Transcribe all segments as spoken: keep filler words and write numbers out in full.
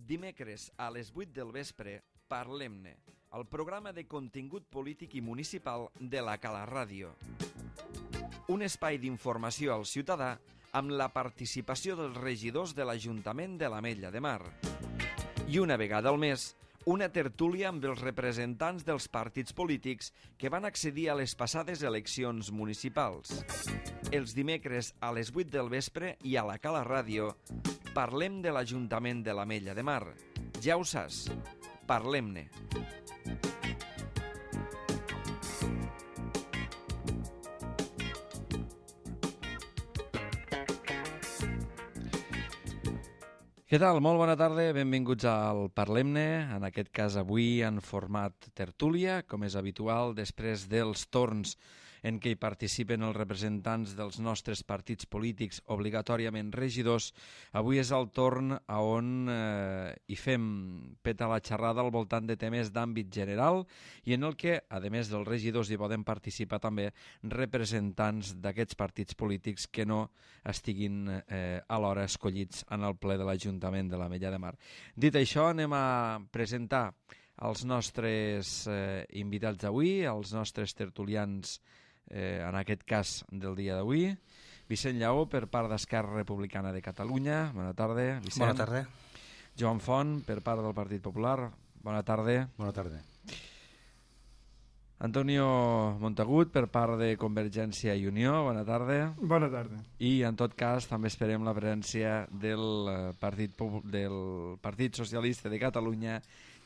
Dimecres a les vuit del vespre, Parlem-ne, el programa de contingut polític i municipal de la Cala Ràdio. Un espai d'informació al ciutadà amb la participació dels regidors de l'Ajuntament de l'Ametlla de Mar. I una vegada al mes, una tertúlia amb els representants dels partits polítics que van accedir a les passades eleccions municipals. Els dimecres a les vuit del vespre i a la Cala Ràdio parlem de l'Ajuntament de l'Ametlla de Mar. Ja ho saps, parlem-ne. Què tal? Molt bona tarda, benvinguts al Parlem-ne, en aquest cas avui en format tertúlia, com és habitual, després dels torns en què hi participen els representants dels nostres partits polítics, obligatòriament regidors. Avui és el torn a on eh, hi fem peta la xerrada al voltant de temes d'àmbit general i en el que, a més dels regidors, hi poden participar també representants d'aquests partits polítics que no estiguin eh, alhora escollits en el ple de l'Ajuntament de l'Ametlla de Mar. Dit això, anem a presentar els nostres eh, invitats d'avui, els nostres tertulians, eh, en aquest cas del dia d'avui. Vicent Lleó, per part d'Esquerra Republicana de Catalunya. Bona tarda, Vicent. Bona tarda. Joan Font, per part del Partit Popular. Bona tarda. Bona tarda. Antonio Montagut, per part de Convergència i Unió. Bona tarda. Bona tarda. I, en tot cas, també esperem la presència del Partit, del Partit Socialista de Catalunya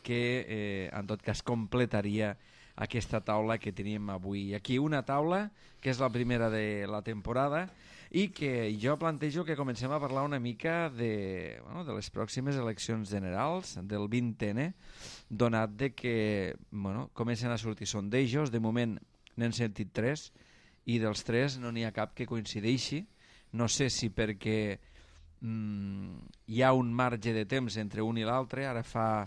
que, eh, en tot cas, completaria aquesta taula que tenim avui aquí. Una taula que és la primera de la temporada i que jo plantejo que comencem a parlar una mica de, bueno, de les pròximes eleccions generals, del vint ene, donat de que bueno, comencen a sortir sondejos. De moment n'hem sentit tres i dels tres no n'hi ha cap que coincideixi. No sé si perquè mm, hi ha un marge de temps entre un i l'altre. Ara fa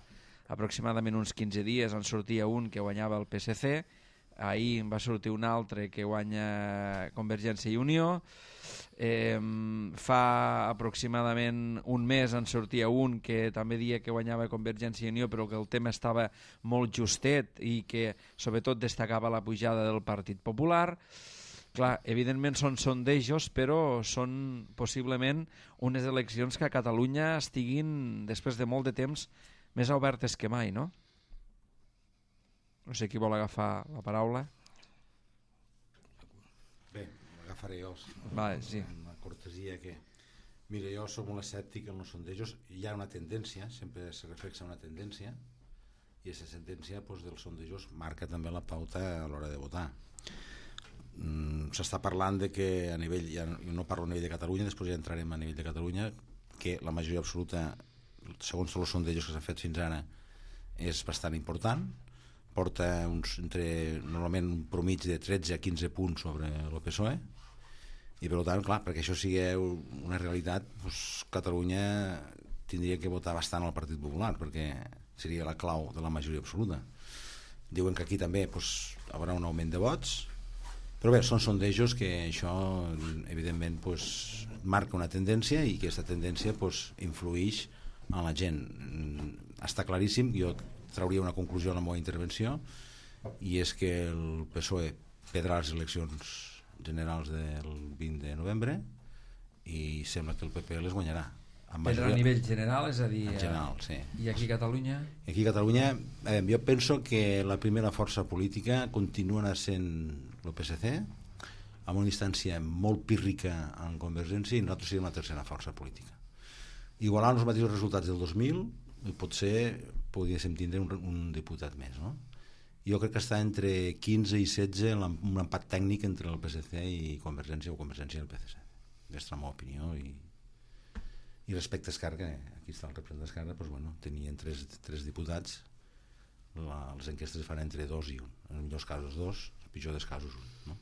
aproximadament uns quinze dies en sortia un que guanyava el Pe esse ce, ahir va sortir un altre que guanya Convergència i Unió, eh, fa aproximadament un mes en sortia un que també deia que guanyava Convergència i Unió però que el tema estava molt justet i que sobretot destacava la pujada del Partit Popular. Clar, evidentment són sondejos, però són possiblement unes eleccions que a Catalunya estiguin, després de molt de temps, més obertes que mai, no? No sé qui vol agafar la paraula. Bé, l'agafaré jo. Vale, sí. Una cortesia que... Mira, jo soc molt escèptic en els sondejos. Hi ha una tendència, sempre se reflexa una tendència, i aquesta tendència doncs, dels sondejos marca també la pauta a l'hora de votar. Mm, s'està parlant de que a nivell, ja no parlo a nivell de Catalunya, després ja entrarem a nivell de Catalunya, que la majoria absoluta, segons tots els sondejos que s'han fet fins ara, és bastant important. Porta uns, entre, normalment un promig de tretze a quinze punts sobre el Pe esse o e, i per tant, clar, perquè això sigui una realitat, doncs, Catalunya tindria que votar bastant al Partit Popular, perquè seria la clau de la majoria absoluta. Diuen que aquí també doncs, hi haurà un augment de vots, però bé, són sondejos que això evidentment doncs, marca una tendència i que aquesta tendència doncs, influïx a la gent. Està claríssim, jo trauria una conclusió a la meva intervenció, i és que el Pe esse o e perdrà les eleccions generals del vint de novembre i sembla que el Pe pe les guanyarà. Perdrà a nivell general, és a dir... En general, sí. I aquí a Catalunya? Aquí a Catalunya, eh, jo penso que la primera força política continua sent el Pe esse ce, amb una distància molt pírrica en Convergència, i nosaltres serem la tercera força política. Igualant els mateixos resultats del dos mil, potser podríem tindre un, un diputat més, no? Jo crec que està entre quinze i setze un empat tècnic entre el Pe esse ce i Convergència, o Convergència i el Pe esse ce. Aquesta és la meva opinió. I, i respecte a Esquerra, que aquí està el representant d'Esquerra, doncs, bueno, tenien tres, tres diputats, la, les enquestes fan entre dos i un, en els millors casos dos, en els pitjors casos un, no?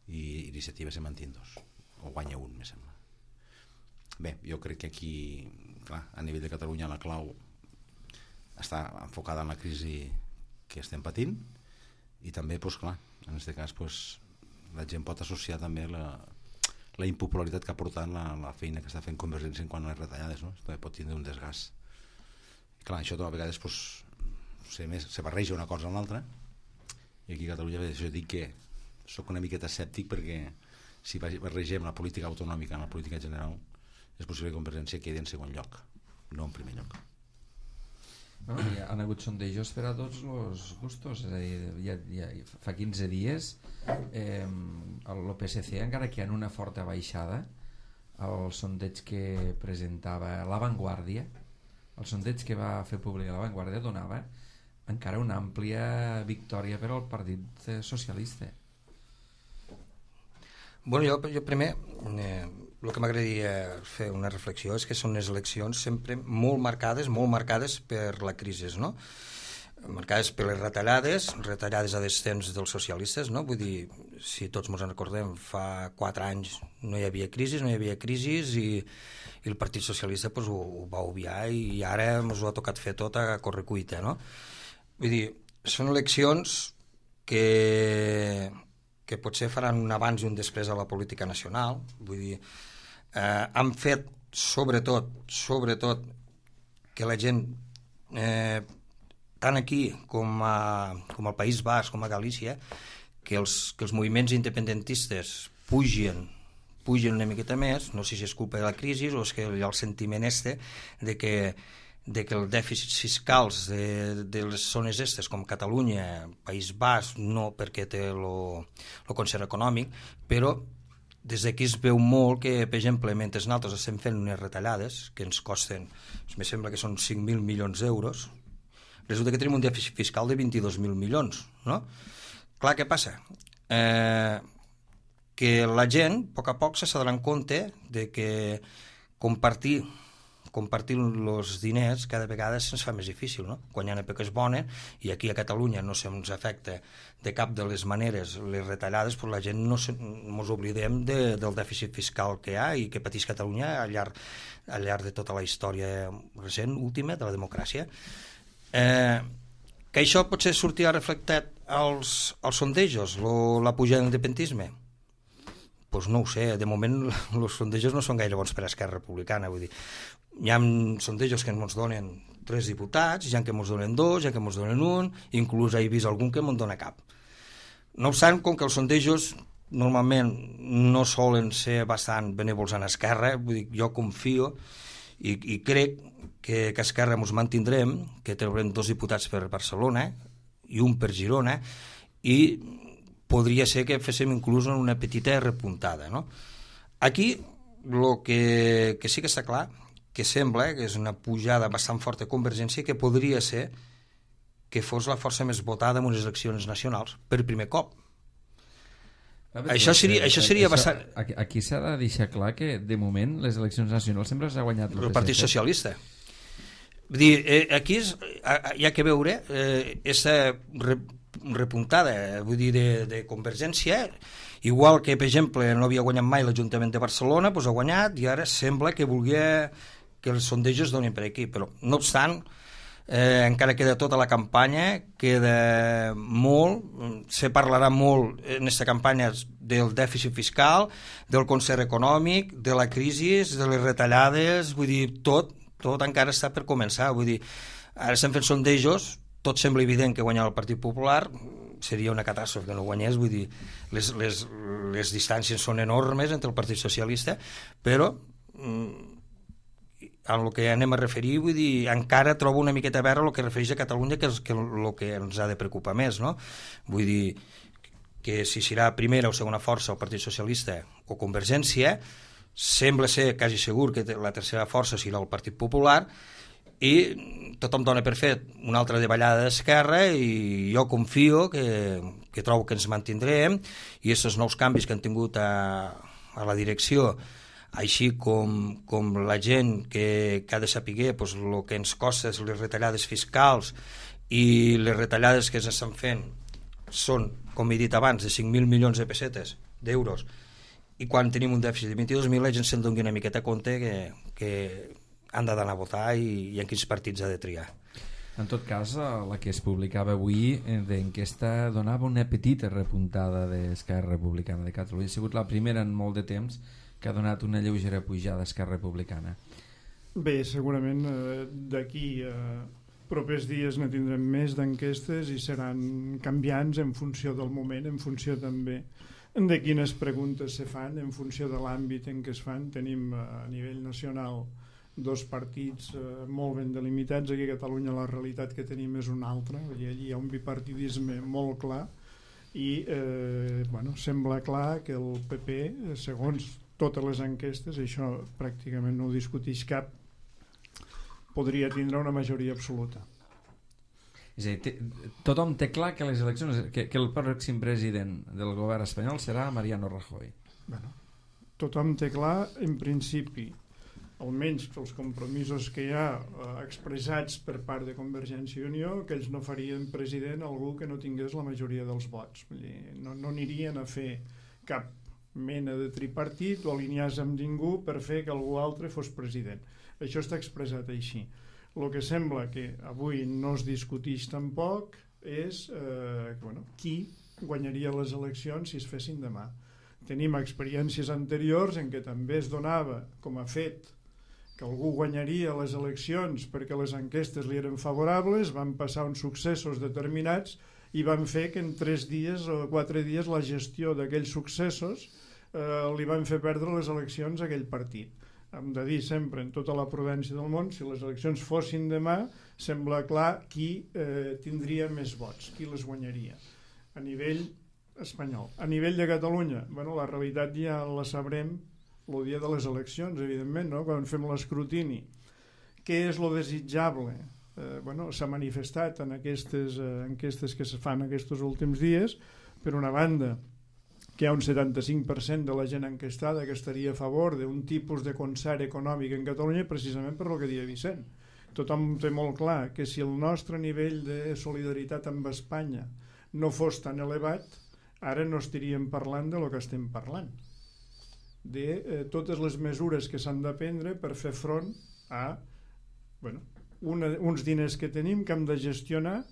I Iniciativa se manté dos, o guanya un, me sembla. Bé, jo crec que aquí, clar, a nivell de Catalunya la clau està enfocada en la crisi que estem patint, i també, doncs, clar, en aquest cas doncs, la gent pot associar també la, la impopularitat que ha portat la, la feina que està fent Convergència en quant a les retallades, no? També pot tindre un desgast Clar, això a vegades pues, se, més, se barreja una cosa amb l'altra, i aquí a Catalunya jo dic que sóc una miqueta escèptic, perquè si barregem la política autonòmica amb la política general és possible que Convergència quedi en segon lloc, no en primer lloc. Bueno, hi han hagut sondejos per a tots els gustos, és a dir, ja, ja, fa quinze dies eh, el P S C, encara que en una forta baixada, el sondeig que presentava La Vanguardia, el sondeig que va fer públic La Vanguardia donava encara una àmplia victòria per al Partit Socialista. Bueno, jo, jo primer eh, el que m'agradaria fer una reflexió és que són unes eleccions sempre molt marcades, molt marcades per la crisi, no? Marcades per les retallades, retallades a descens dels socialistes, no? Vull dir, si tots ens en recordem, fa quatre anys no hi havia crisi, no hi havia crisi i, i el Partit Socialista pues, ho, ho va obviar i ara ens ho ha tocat fer tot a correcuita, no? Vull dir, són eleccions que, que potser faran un abans i un després a la política nacional, vull dir, eh, han fet sobretot, sobretot que la gent eh, tant aquí com, a, com al País Basc, com a Galícia, que els, que els moviments independentistes pugen, pugen una miqueta més, no sé si és culpa de la crisi o és que hi ha el sentiment este de que, de que el dèficit fiscals de, de les zones estes com Catalunya, País Basc, no perquè té el concert econòmic, però des d'aquí es veu molt que, per exemple, mentre nosaltres estem fent unes retallades que ens costen, em sembla que són cinc mil milions d'euros, resulta que tenim un dèficit fiscal de vint-i-dos mil milions, no? Clar, què passa? Eh, que la gent, a poc a poc, se s'adonarà compte de que compartir compartir els diners cada vegada se'ns fa més difícil, no? Quan hi ha èpoques bones, i aquí a Catalunya no se'ns afecta de cap de les maneres les retallades, però la gent no ens oblidem de, del dèficit fiscal que hi ha i que pateix Catalunya al llarg, al llarg de tota la història recent, última, de la democràcia. Eh, que això potser sortirà reflectat als, als sondejos, lo, la pujada de l'independentisme? Doncs no ho sé, de moment els sondejos no són gaire bons per a Esquerra Republicana, vull dir, hi ha sondejos que ens donen tres diputats, hi ha que ens donen dos, hi ha que ens donen un, inclús he vist algun que no en dona cap. No obstant, com que els sondejos normalment no solen ser bastant benèvols en Esquerra, vull dir, jo confio i, i crec que, que a Esquerra ens mantindrem, que tindrem dos diputats per Barcelona i un per Girona, i podria ser que féssim inclús una petita repuntada, no? Aquí el que, que sí que està clar, que sembla que és una pujada bastant forta de Convergència, que podria ser que fos la força més votada en unes eleccions nacionals per primer cop. Veure, això seria, eh, això seria això, bastant... Aquí, aquí s'ha de deixar clar que de moment les eleccions nacionals sempre s'ha guanyat el Partit Socialista. Vull dir, eh, aquí és, hi ha que veure eh, aquesta re, repuntada, vull dir, de, de Convergència, igual que, per exemple, no havia guanyat mai l'Ajuntament de Barcelona, doncs ha guanyat i ara sembla que volia que els sondejos donin per aquí, però no obstant, eh, encara queda tota la campanya, queda molt, se parlarà molt en aquesta campanya del dèficit fiscal, del concert econòmic, de la crisi, de les retallades, vull dir, tot, tot encara està per començar, vull dir, ara estem fent sondejos, tot sembla evident que guanyar el Partit Popular, seria una catàstrofe que no guanyés, vull dir, les, les, les distàncies són enormes entre el Partit Socialista, però en el que anem a referir, vull dir, encara trobo una miqueta a veure el que refereix a Catalunya, que és que el que ens ha de preocupar més, no? Vull dir, que si serà primera o segona força el Partit Socialista o Convergència, sembla ser quasi segur que la tercera força serà el Partit Popular, i tothom dona per fet una altra davallada d'Esquerra, i jo confio que, que trobo que ens mantindrem, i aquests nous canvis que han tingut a, a la direcció, així com, com la gent que, que ha de saber pues, el que ens costa les retallades fiscals i les retallades que s'estan fent són, com he dit abans, de cinc mil milions de pessetes, d'euros, i quan tenim un dèficit de vint-i-dos mil la gent se'n doni una miqueta compte que, que han d'anar a votar i, i en quins partits ha de triar. En tot cas, la que es publicava avui d'enquesta donava una petita repuntada d'Esquerra Republicana de Catalunya. Ha sigut la primera en molt de temps que ha donat una lleugera pujada d'Esquerra Republicana. Bé, segurament eh, d'aquí a eh, propers dies ne tindrem més d'enquestes i seran canviants en funció del moment, en funció també de quines preguntes se fan, en funció de l'àmbit en què es fan. Tenim eh, a nivell nacional dos partits eh, molt ben delimitats. Aquí a Catalunya la realitat que tenim és una altra, allí hi ha un bipartidisme molt clar i eh, bueno, sembla clar que el P P, segons totes les enquestes, això pràcticament no ho discuteix cap, podria tindre una majoria absoluta. És a dir, té, tothom té clar que les eleccions, que, que el pròxim president del govern espanyol serà Mariano Rajoy. Bueno, tothom té clar, en principi, almenys els compromisos que hi ha eh, expressats per part de Convergència i Unió, que ells no farien president algú que no tingués la majoria dels vots. Vull dir, no, no anirien a fer cap mena de tripartit o alinear-se amb ningú per fer que algú altre fos president. Això està expressat així. El que sembla que avui no es discuteix tampoc és eh, que, bueno, qui guanyaria les eleccions si es fessin demà. Tenim experiències anteriors en què també es donava com a fet que algú guanyaria les eleccions perquè les enquestes li eren favorables, van passar uns successos determinats i van fer que en tres dies o quatre dies la gestió d'aquells successos eh, li van fer perdre les eleccions a aquell partit. Hem de dir sempre, en tota la prudència del món, si les eleccions fossin demà, sembla clar qui eh, tindria més vots, qui les guanyaria a nivell espanyol. A nivell de Catalunya, bueno, la realitat ja la sabrem el dia de les eleccions, evidentment, no? Quan fem l'escrutini. Què és lo desitjable? Eh, bueno, s'ha manifestat en aquestes eh, enquestes que se fan aquests últims dies, per una banda, que hi ha un setanta-cinc per cent de la gent enquestada que estaria a favor d'un tipus de concert econòmic en Catalunya, precisament per el que deia Vicent. Tothom té molt clar que si el nostre nivell de solidaritat amb Espanya no fos tan elevat, ara no estaríem parlant de lo que estem parlant, de eh, totes les mesures que s'han de prendre per fer front a bueno, una, uns diners que tenim que hem de gestionar,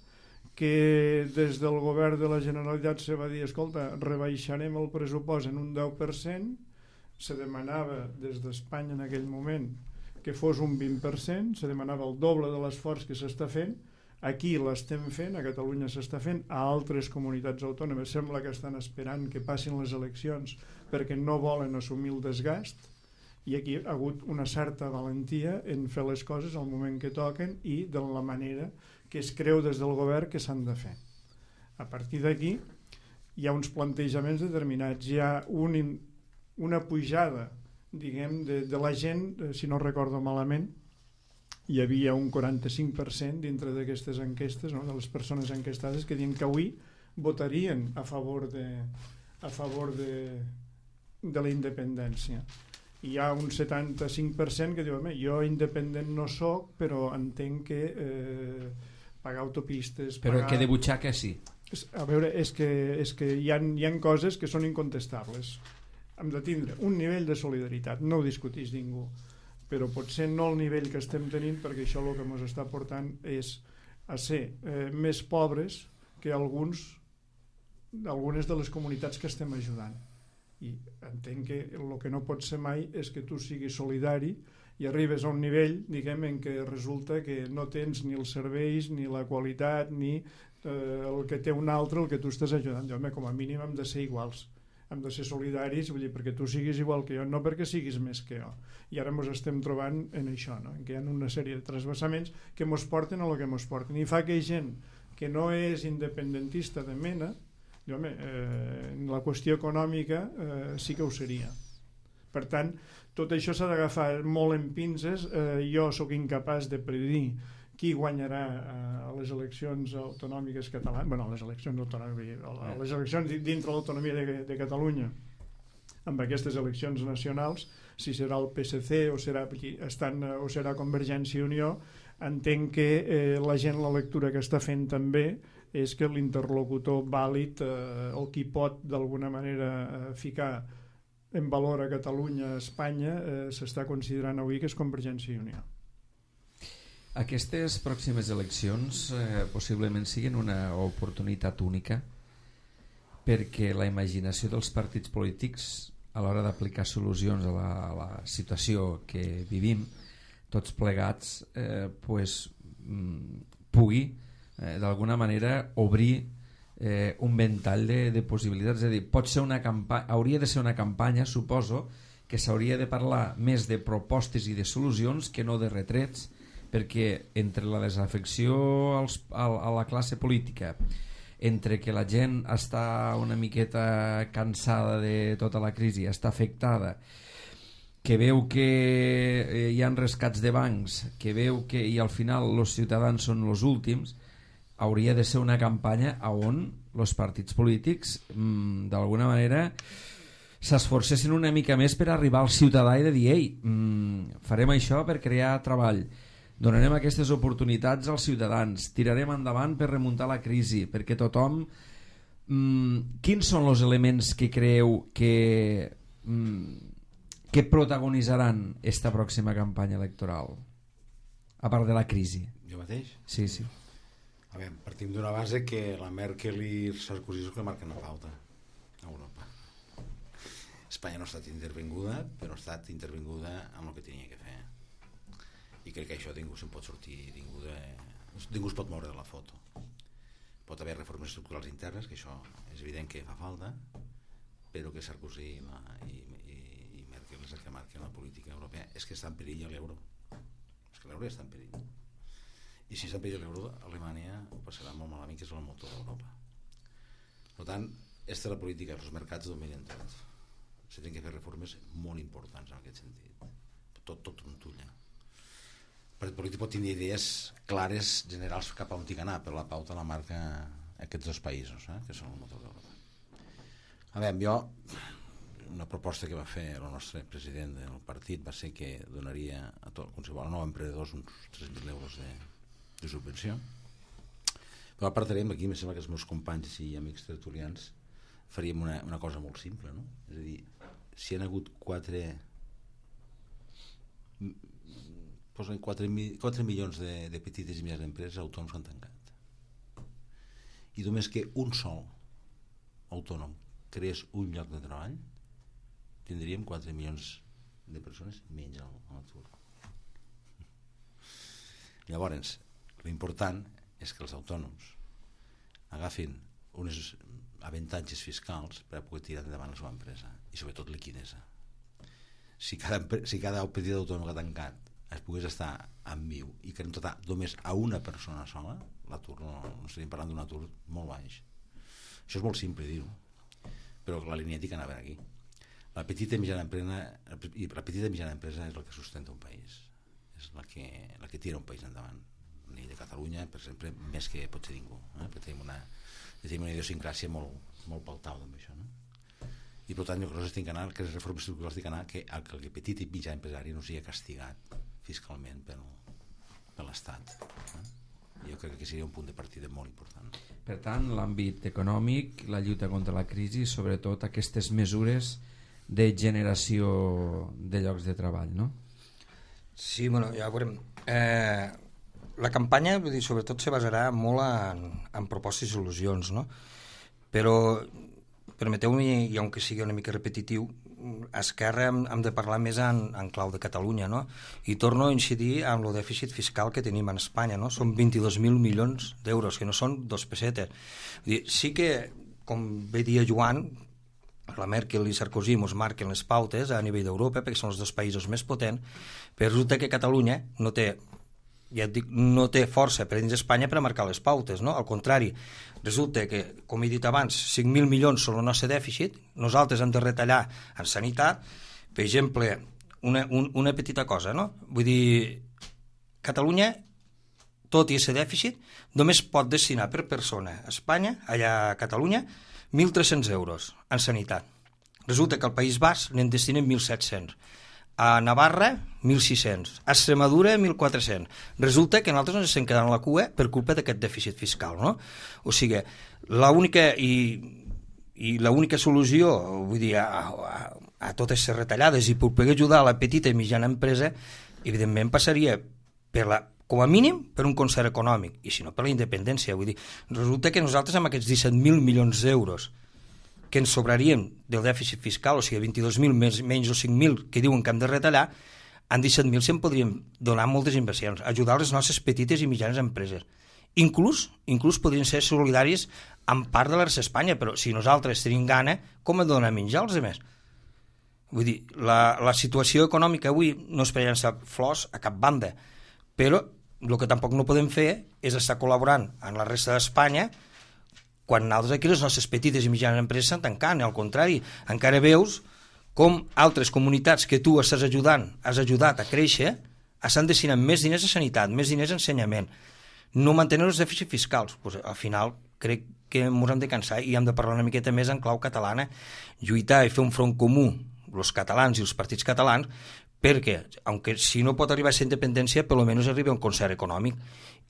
que des del govern de la Generalitat se va dir, escolta, rebaixarem el pressupost en un deu per cent, se demanava des d'Espanya en aquell moment que fos un vint per cent, se demanava el doble de l'esforç que s'està fent. Aquí l'estem fent, a Catalunya s'està fent, a altres comunitats autònomes sembla que estan esperant que passin les eleccions perquè no volen assumir el desgast, i aquí ha hagut una certa valentia en fer les coses al moment que toquen i de la manera que es creu des del govern que s'han de fer. A partir d'aquí hi ha uns plantejaments determinats, hi ha un, una pujada, diguem, de, de la gent, si no recordo malament, hi havia un quaranta-cinc per cent dintre d'aquestes enquestes, no?, de les persones enquestades que diuen que avui votarien a favor de, a favor de, de la independència. Hi ha un setanta-cinc per cent que diu, jo independent no soc, però entenc que eh, pagar autopistes... Però pagar... que de butxaca sí. A veure, és que, és que hi, ha, hi ha coses que són incontestables. Hem de tindre un nivell de solidaritat, no ho discuteix ningú, però potser no el nivell que estem tenint, perquè això el que ens està portant és a ser eh, més pobres que alguns, algunes de les comunitats que estem ajudant. I entenc que el que no pot ser mai és que tu siguis solidari i arribes a un nivell, diguem, en què resulta que no tens ni els serveis, ni la qualitat, ni eh, el que té un altre, el que tu estàs ajudant. Home, com a mínim hem de ser iguals, hem de ser solidaris, vull dir, perquè tu siguis igual que jo, no perquè siguis més que jo. I ara ens estem trobant en això, no? En què hi ha una sèrie de trasbassaments que ens porten a lo que ens porten. I fa que gent que no és independentista de mena, i, home, eh, la qüestió econòmica eh, sí que ho seria. Per tant, tot això s'ha d'agafar molt en pinces. Eh, jo sóc incapaç de predir qui guanyarà a les eleccions autonòmiques catalanes, bueno, a les eleccions autonòmiques, a les eleccions dintre l'autonomia de, de Catalunya, amb aquestes eleccions nacionals, si serà el P S C o serà, estan, o serà Convergència i Unió. Entenc que eh, la gent, la lectura que està fent també és que l'interlocutor vàlid eh, o qui pot d'alguna manera eh, ficar en valor a Catalunya, a Espanya, eh, s'està considerant avui que és Convergència i Unió. Aquestes pròximes eleccions eh, possiblement siguin una oportunitat única perquè la imaginació dels partits polítics a l'hora d'aplicar solucions a la, a la situació que vivim tots plegats eh, pues, pugui eh, d'alguna manera obrir eh, un ventall de, de possibilitats. És a dir, pot ser una campa- hauria de ser una campanya, suposo, que s'hauria de parlar més de propostes i de solucions que no de retrets, perquè entre la desafecció als, a, a la classe política, entre que la gent està una miqueta cansada de tota la crisi, està afectada, que veu que eh, hi ha rescats de bancs, que veu que i al final els ciutadans són els últims, hauria de ser una campanya on els partits polítics mmm, d'alguna manera s'esforcessin una mica més per arribar al ciutadà i de dir, ei, mmm, farem això per crear treball, donarem aquestes oportunitats als ciutadans, tirarem endavant per remuntar la crisi, perquè tothom... Mmm, quins són els elements que creieu que... Mmm, que protagonitzaran esta pròxima campanya electoral a part de la crisi? Jo mateix? Sí, sí. A veure, partim d'una base que la Merkel i Sarkozy són que marquen la pauta a Europa. Espanya no ha estat intervinguda, però ha estat intervinguda amb el que tenia que fer, i crec que això ningú se'n pot sortir, ningú, de... ningú es pot moure de la foto. Pot haver reformes estructurals internes, que això és evident que fa falta, però que Sarkozy i, la, i, i, i Merkel és el que marquen la política europea. És que està en perill l'euro, és que l'euro ja està en perill, i si està en perill l'euro, Alemanya ho passarà molt malament, que és el motor d'Europa. Per tant, aquesta és la política, els mercats dominen tot, s'han de fer reformes molt importants en aquest sentit, tot, tot trontulla. El partit polític pot tenir idees clares, generals cap a on tinc anar, però la pauta la marca aquests dos països, eh, que són el motor d'Europa. A veure, jo, una proposta que va fer el nostre president del partit va ser que donaria a tot, qualsevol nou emprenedors uns tres mil euros de, de subvenció. Però apartarem aquí, em sembla que els meus companys i amics tertulians faríem una, una cosa molt simple, no? És a dir, si hi ha hagut quatre posen quatre, quatre milions de, de petites i mitjanes empreses autònoms que han tancat, i només que un sol autònom creés un lloc de treball, tindríem quatre milions de persones menys a l'atur. Llavors, l'important és que els autònoms agafin uns avantatges fiscals per a poder tirar endavant la seva empresa, i sobretot liquidesa. Si cada, si cada petit autònom que ha tancat es pogués estar en viu i que en total només a una persona sola, l'atur no, no estaríem parlant d'un atur molt baix. Això és molt simple dir-ho, però la línia ètica anava aquí. La petita i mitjana empresa, i la petita i mitjana empresa és la que sustenta un país, és la que, la que tira un país endavant. A nivell de Catalunya, per exemple, més que pot ser ningú, eh? Perquè tenim una, tenim una idiosincràsia molt, molt paltau amb això, no? I per tant, jo crec que anar, que les reformes estructurals tinc anar que el, que el petit i mitjà empresari no sigui castigat fiscalment per, per l'Estat. Eh? Jo crec que seria un punt de partida molt important. Per tant, l'àmbit econòmic, la lluita contra la crisi, sobretot aquestes mesures de generació de llocs de treball, no? Sí, bueno, ja veurem. Eh, la campanya, vull dir, sobretot se basarà molt en, en propostes i solucions, no? Però permeteu-me, i aunque sigui una mica repetitiu, a Esquerra hem, hem de parlar més en, en clau de Catalunya, no? I torno a incidir en el dèficit fiscal que tenim en Espanya, no? Són vint-i-dos mil milions d'euros, que no són dos pessetes. Vull dir, sí que, com bé dia Joan, la Merkel i Sarkozy ens marquen les pautes a nivell d'Europa, perquè són els dos països més potents, però resulta que Catalunya no té, ja et dic, no té força per dins d'Espanya per a marcar les pautes, no? Al contrari, resulta que, com he dit abans, cinc mil milions són el nostre dèficit, nosaltres hem de retallar en sanitat, per exemple, una, un, una petita cosa, no? Vull dir, Catalunya, tot i aquest dèficit, només pot destinar per persona a Espanya, allà a Catalunya, mil tres-cents euros en sanitat. Resulta que al País Basc n'en destinen mil set-cents. A Navarra, mil sis-cents. A Extremadura, mil quatre-cents. Resulta que nosaltres ens estem quedant a la cua per culpa d'aquest dèficit fiscal, no? O sigui, l'única i, i l'única solució, vull dir, a, a, a totes les retallades i per poder ajudar a la petita i mitjana empresa, evidentment passaria per la, com a mínim per un concert econòmic, i si no per la independència. Vull dir, resulta que nosaltres amb aquests disset mil milions d'euros que ens sobrarien del dèficit fiscal, o sigui, vint-i-dos mil menys, menys els cinc mil que diuen que hem de retallar, amb disset mil se'n podrien donar moltes inversions, ajudar les nostres petites i mitjanes empreses. Inclús, inclús podrien ser solidaris amb part de la resta d'Espanya, però si nosaltres tenim gana, com hem de donar menjar als altres? Vull dir, la, la situació econòmica avui no és per llançar flors a cap banda, però el que tampoc no podem fer és estar col·laborant amb la resta d'Espanya quan nosaltres aquí les nostres petites i mitjanes empreses estan tancant, al contrari, encara veus com altres comunitats que tu estàs ajudant, has ajudat a créixer, estan destinant més diners a sanitat, més diners a ensenyament, no mantenen els dèficits fiscals. Pues, al final crec que ens hem de cansar i hem de parlar una miqueta més en clau catalana, lluitar i fer un front comú, els catalans i els partits catalans, perquè, aunque si no pot arribar a ser independència, per almenys arriba a un concert econòmic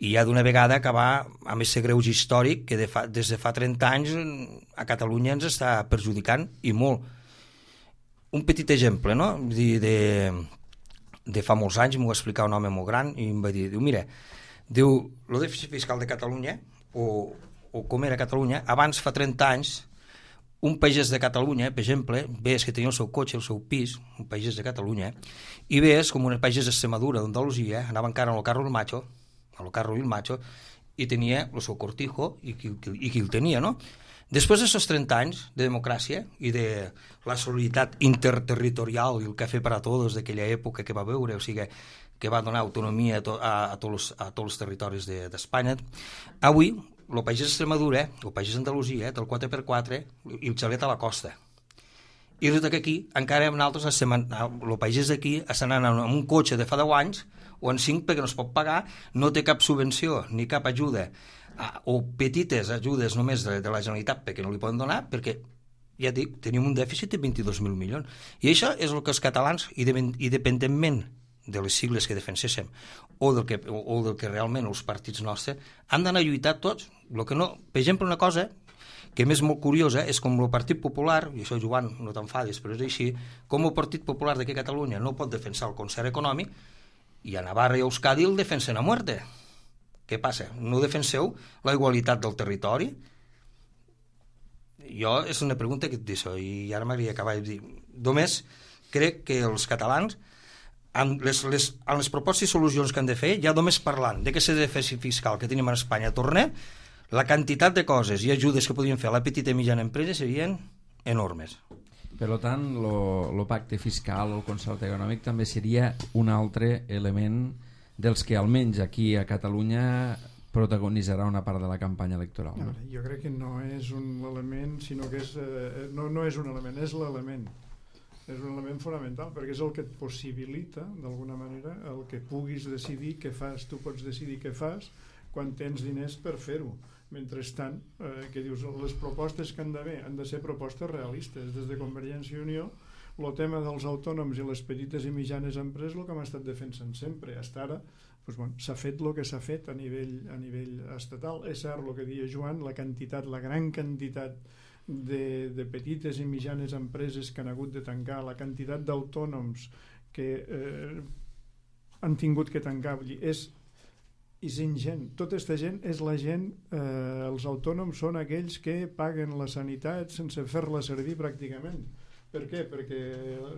i ja d'una vegada acabar amb aquest greuge històric que de fa, des de fa trenta anys a Catalunya ens està perjudicant i molt. Un petit exemple, no? De, de, de fa molts anys m'ho va explicar un home molt gran i em va dir, diu, mira, diu, el dèficit fiscal de Catalunya, o, o com era Catalunya, abans fa trenta anys, un pagès de Catalunya, per exemple, ves que tenia el seu cotxe, el seu pis, un pagès de Catalunya, i ves com un pagès d'Extremadura, d'Andalusia, anava encara al carro del macho, al carro del macho, i tenia el seu cortijo, i qui, i qui el tenia, no? Després d'aquests trenta anys de democràcia i de la solidaritat interterritorial i el cafè per a tots d'aquella època que va veure, o sigui, que va donar autonomia a, to, a, a, tots, a tots els territoris d'Espanya, de, avui el país d'Extremadura, el país d'Andalusia, té el quatre per quatre i el xalet a la costa. I resulta que aquí, encara nosaltres, el país d'aquí, estan anant amb un cotxe de fa deu anys o en cinc perquè no es pot pagar, no té cap subvenció ni cap ajuda, o petites ajudes només de, de la Generalitat perquè no li poden donar, perquè, ja dic, tenim un dèficit de vint-i-dos mil milions. I això és el que els catalans, independentment de les sigles que defenséssim o del que, o, o del que realment els partits nostres, han d'anar a lluitar tots. Lo que no, per exemple, una cosa que més molt curiosa és com el Partit Popular, i això, Joan, no t'enfadis, però és així, com el Partit Popular d'aquí a Catalunya no pot defensar el concert econòmic i a Navarra i a Euskadi el defensen a muerte. Què passa? No defenseu la igualitat del territori? Jo és una pregunta que et deixo i ara m'agradaria acabar de dir. Només crec que els catalans, amb les, les, amb les propostes i solucions que han de fer, ja només parlant de que ese dèficit fiscal que tenim a Espanya torna, la quantitat de coses i ajudes que podien fer a la petita i mitjana empresa serien enormes. Per tant, el pacte fiscal o el concert econòmic també seria un altre element dels que almenys aquí a Catalunya protagonitzarà una part de la campanya electoral. No? Jo crec que no és un element, sinó que és, eh, no, no és un element, és l'element. És un element fonamental, perquè és el que et possibilita, d'alguna manera, el que puguis decidir què fas. Tu pots decidir què fas quan tens diners per fer-ho. Mentrestant, eh, que dius, les propostes que han d'haver han de ser propostes realistes. Des de Convergència i Unió, el tema dels autònoms i les petites i mitjanes empreses, el que hem estat defensant sempre. Hasta ara doncs, bueno, s'ha fet el que s'ha fet a nivell, a nivell estatal. És cert el que deia Joan, la quantitat, la gran quantitat de, de petites i mitjanes empreses que han hagut de tancar, la quantitat d'autònoms que eh, han tingut que tancar, és, és ingent. Tota aquesta gent és la gent, eh, els autònoms són aquells que paguen la sanitat sense fer-la servir pràcticament. Per què? Perquè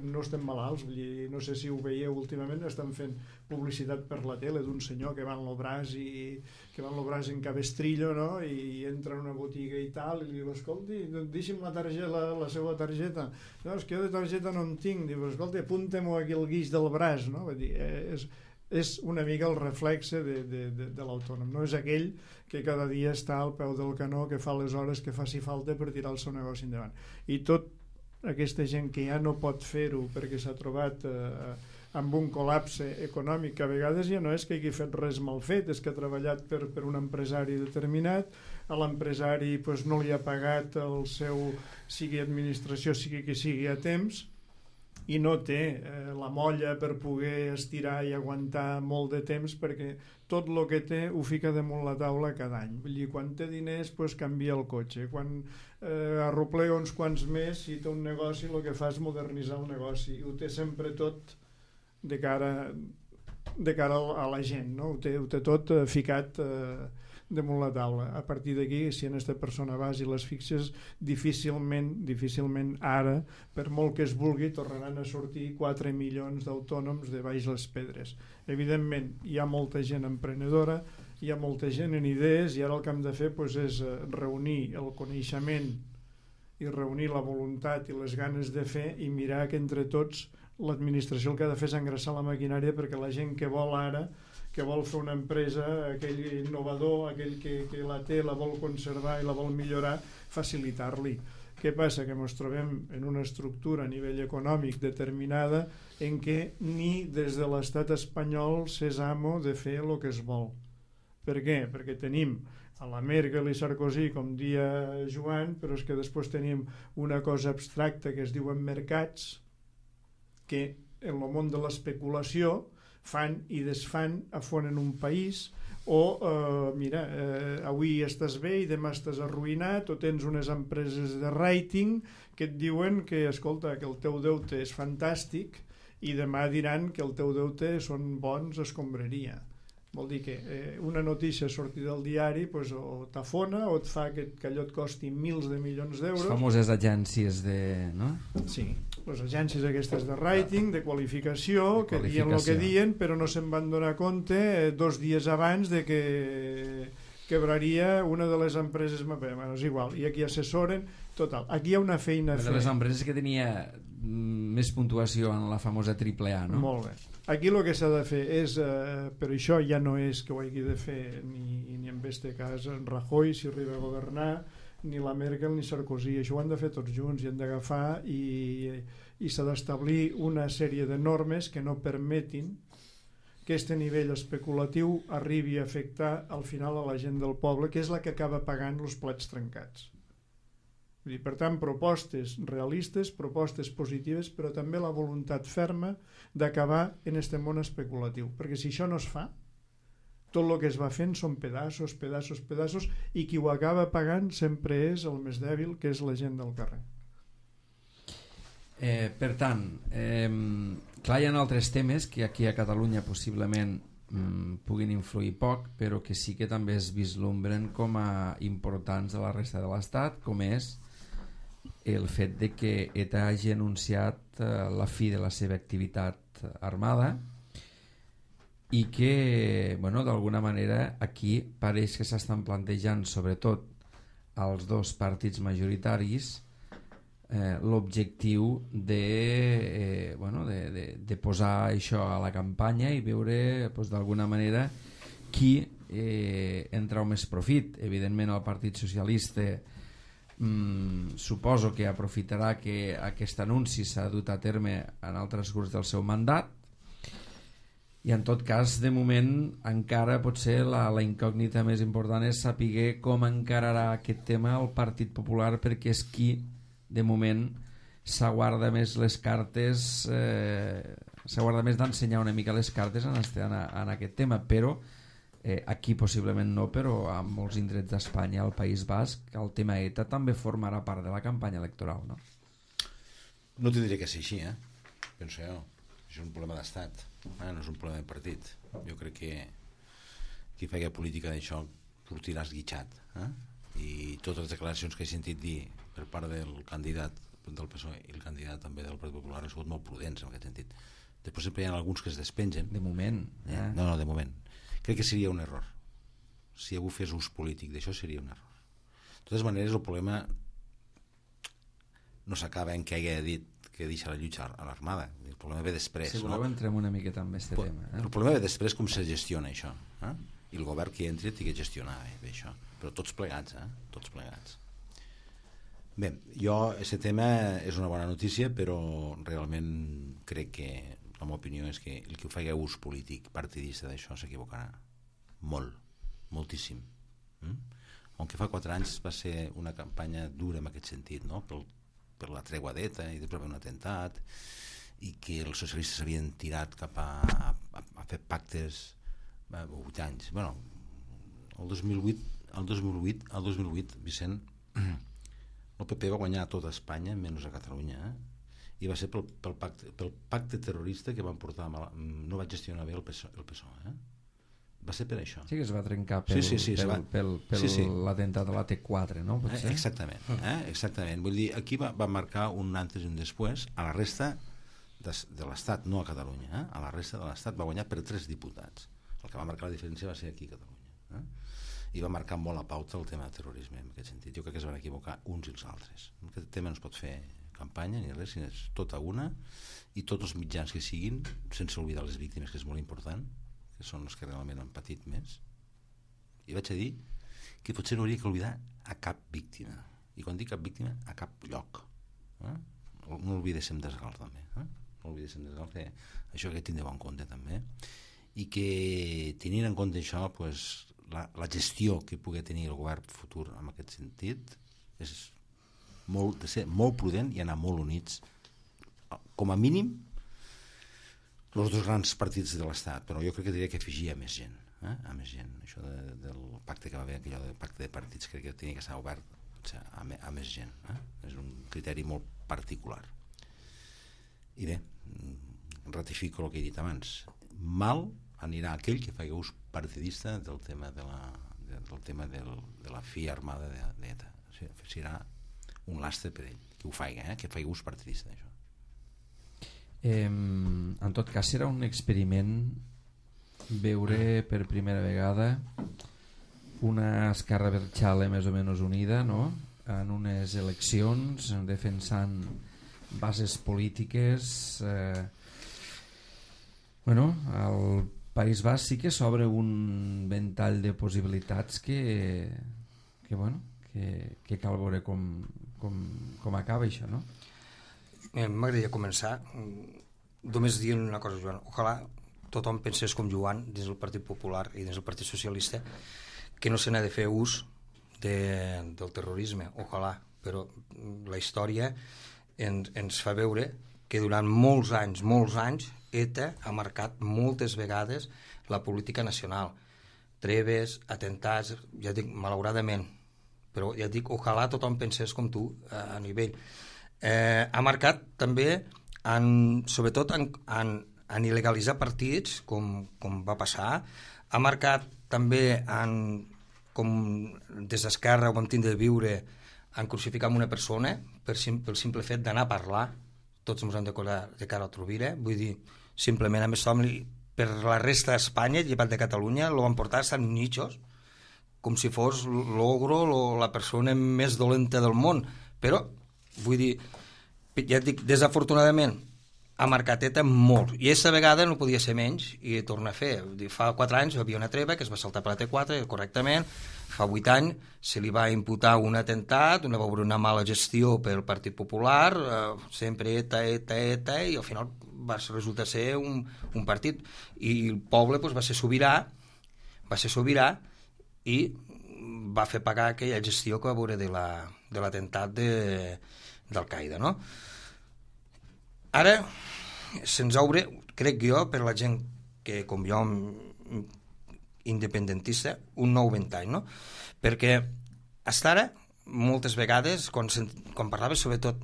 no estem malalts. Vull dir, no sé si ho veieu últimament, estan fent publicitat per la tele d'un senyor que va en l'Obràs i que va en l'Obràs en cabestrillo, no? I entra en una botiga i tal i li diu, escolti, deixi'm la, targeta, la, la seva targeta. No, és que jo de targeta no en tinc. Diu, escolti, apunta-m'ho aquí el guix del braç, no? Vull dir, és, és una mica el reflexe de, de, de, de l'autònom. No és aquell que cada dia està al peu del canó, que fa les hores que faci falta per tirar el seu negoci endavant. I tot aquesta gent que ja no pot fer-ho perquè s'ha trobat eh, amb un col·lapse econòmic, que a vegades ja no és que hagi fet res mal fet, és que ha treballat per, per un empresari determinat, a l'empresari pues, no li ha pagat el seu, sigui administració, sigui que sigui a temps, i no té eh, la molla per poder estirar i aguantar molt de temps, perquè tot el que té ho fica damunt la taula cada any. Vull dir, quan té diners pues, canvia el cotxe, quan eh, arroplega uns quants més, si té un negoci el que fa és modernitzar el negoci, i ho té sempre tot de cara, de cara a la gent, no? Ho té, ho té tot eh, ficat eh, damunt la taula. A partir d'aquí, si en aquesta persona vas i les fixes, difícilment, difícilment ara, per molt que es vulgui, tornaran a sortir quatre milions d'autònoms de baix les pedres. Evidentment, hi ha molta gent emprenedora, hi ha molta gent en idees, i ara el que hem de fer doncs, és reunir el coneixement i reunir la voluntat i les ganes de fer i mirar que entre tots l'administració el que ha de fer és engreixar la maquinària perquè la gent que vol ara, que vol fer una empresa, aquell innovador, aquell que, que la té, la vol conservar i la vol millorar, facilitar-li. Què passa? Que ens trobem en una estructura a nivell econòmic determinada en què ni des de l'estat espanyol s'és amo de fer el que es vol. Per què? Perquè tenim a la Merkel i Sarkozy, com dia Joan, però és que després tenim una cosa abstracta que es diuen mercats, que en el món de l'especulació fan i desfan, afonen un país, o eh, mira, eh, avui estàs bé i demà estàs arruïnat, o tens unes empreses de rating que et diuen que, escolta, que el teu deute és fantàstic i demà diran que el teu deute són bons escombraria. Vol dir que eh, una notícia sortida del diari pues, o t'afona o et fa que, que allò et costi mils de milions d'euros. Les famoses agències de... no? Sí, les agències aquestes de rating, de qualificació, de que qualificació. Dien el que dien, però no se'n van donar compte eh, dos dies abans de que quebraria una de les empreses... Bueno, és igual, i aquí assessoren... Total, aquí hi ha una feina a fer. Una de les empreses que tenia més puntuació en la famosa triple A, no? Molt bé. Aquí el que s'ha de fer és, eh, però això ja no és que ho hagi de fer ni, ni en este cas en Rajoy, si arriba a governar, ni la Merkel ni Sarkozy, això ho han de fer tots junts i han d'agafar i, i s'ha d'establir una sèrie de normes que no permetin que aquest nivell especulatiu arribi a afectar al final a la gent del poble, que és la que acaba pagant els plats trencats. Vull dir, per tant, propostes realistes, propostes positives, però també la voluntat ferma d'acabar en este món especulatiu. Perquè si això no es fa, tot el que es va fent són pedaços, pedaços, pedaços, i qui ho acaba pagant sempre és el més dèbil, que és la gent del carrer. Eh, per tant, eh, clar, hi ha altres temes que aquí a Catalunya possiblement mm, puguin influir poc, però que sí que també es vislumbren com a importants a la resta de l'Estat, com és el fet de que ETA hagi anunciat eh, la fi de la seva activitat armada i que, bueno, d'alguna manera aquí pareix que s'estan plantejant, sobretot als dos partits majoritaris, eh, l'objectiu de, eh, bueno, de, de, de posar això a la campanya i veure pues, d'alguna manera qui eh, en trau més profit. Evidentment el Partit Socialista Mm, suposo que aprofitarà que aquest anunci s'ha dut a terme en altres grups del seu mandat i en tot cas de moment encara potser la, la incògnita més important és saber com encararà aquest tema el Partit Popular, perquè és qui de moment s'aguarda més les cartes eh, s'aguarda més d'ensenyar una mica les cartes en, este, en, en aquest tema, però Eh, aquí possiblement no, però a molts indrets d'Espanya, al País Basc, el tema ETA també formarà part de la campanya electoral, no? No t'ho diré que sigui així, eh? Penso jo. Això és un problema d'estat, eh? No és un problema de partit. Jo crec que qui faci política d'això sortirà esguitxat, eh? I totes les declaracions que he sentit dir per part del candidat del P S O E i el candidat també del Partit Popular han sigut molt prudents en aquest sentit. Després sempre hi ha alguns que es despengen. De moment. Eh? Eh? No, no, de moment. Crec que seria un error. Si algú fes ús polític d'això seria un error. De totes maneres, el problema no s'acaba en què hagi dit que deixa la lluita a l'Armada. El problema ve després. Si voleu, no? entrem una miqueta amb aquest tema. Eh? El problema ve després com se gestiona això. Eh? I el govern que entri té que gestionar bé això. Però tots plegats, eh? Tots plegats. Bé, jo, aquest tema és una bona notícia, però realment crec que la meva opinió és que el que ho faci ús polític partidista d'això s'equivocarà molt, moltíssim. Mm? Aunque fa quatre anys va ser una campanya dura en aquest sentit, no? per, per la tregua d'ETA i després un atemptat, i que els socialistes s'havien tirat cap a, a, a fer pactes a vuit anys. Bueno, el dos mil vuit, el dos mil vuit, el dos mil vuit, Vicent, el P P va guanyar a tota Espanya menys a Catalunya, eh? I va ser pel, pel, pacte, pel pacte terrorista que van portar mal, no va gestionar bé el P S O E, el P S O E eh? Va ser per això. Sí que es va trencar pel, sí, sí, sí, pel, va... pel, pel sí, sí. l'atemptat de la T quatre, no? Eh, exactament, eh? exactament. Vull dir, aquí va, va marcar un antes i un després. A la resta de, de l'Estat, no a Catalunya, eh? A la resta de l'Estat va guanyar per tres diputats. El que va marcar la diferència va ser aquí a Catalunya. Eh? I va marcar molt la pauta el tema del terrorisme, en aquest sentit. Jo crec que es van equivocar uns i els altres. En aquest tema no es pot fer campanya ni res, sinó és tota una, i tots els mitjans que siguin, sense oblidar les víctimes, que és molt important, que són els que realment han patit més. I vaig a dir que potser no hauria que oblidar a cap víctima. I quan dic cap víctima, a cap lloc. Eh? No oblidéssim d'Esgal, també. Eh? No oblidéssim d'Esgal, que això que tindreu en compte, també. I que, tenint en compte això, pues, la, la gestió que pugui tenir el govern futur en aquest sentit és molt, de ser molt prudent i anar molt units, com a mínim, els dos grans partits de l'Estat, però jo crec que diria que afegia més gent, eh? a més gent. Això de, del pacte que va haver, aquell del pacte de partits, crec que tenia que estar obert, o sigui, a, me, a més gent. Eh? És un criteri molt particular. I bé, ratifico el que he dit abans. Mal anirà aquell que faci ús partidista del tema de la, de, del tema del, de la fi armada d'ETA. O sigui, serà un lastre per ell, que ho faci, eh? que faci ús partidista d'això. Eh, en tot cas serà un experiment veure per primera vegada una Esquerra Abertzale més o menys unida, no? En unes eleccions defensant bases polítiques. eh, bueno, al País Basc sí que s'obre un ventall de possibilitats que, que, bueno, que, que cal veure com, com, com acaba això, no? M'agradaria començar només dient una cosa, Joan. Ojalà tothom pensés com Joan dins del Partit Popular i dins del Partit Socialista, que no se n'ha de fer ús de, del terrorisme. Ojalà, però la història ens, ens fa veure que durant molts anys, molts anys, ETA ha marcat moltes vegades la política nacional. Treves, atentats, ja dic, malauradament, però ja dic, ojalà tothom pensés com tu a, a nivell. Eh, ha marcat també, en, sobretot en, en, en il·legalitzar partits, com, com va passar. Ha marcat també, en, com des d'Esquerra ho vam tindre de viure, en crucificar una persona per sim, pel simple fet d'anar a parlar. Tots ens hem de colar de cara a Rovira. Vull dir, simplement, a més, per la resta d'Espanya, llevat de Catalunya, lo van portar a Sant Nichos, com si fos l'ogro, la persona més dolenta del món. Però vull dir, ja et dic, desafortunadament ha marcat ETA molt, i aquesta vegada no podia ser menys, i torna a fer. Vull dir, fa quatre anys hi havia una treva que es va saltar per la T quatre correctament, fa vuit anys se li va imputar un atemptat, una, una mala gestió pel Partit Popular, eh, sempre ETA, ETA, ETA, i al final va resultar ser un, un partit, i el poble pues, va ser sobirà, va ser sobirà, i va fer pagar aquella gestió que va veure de la, de l'atemptat de, d'Al-Qaeda, no? Ara se'ns obre, crec jo, per la gent que, com jo, independentista, un nou ventall, no? Perquè fins ara, moltes vegades, quan, quan parlava sobretot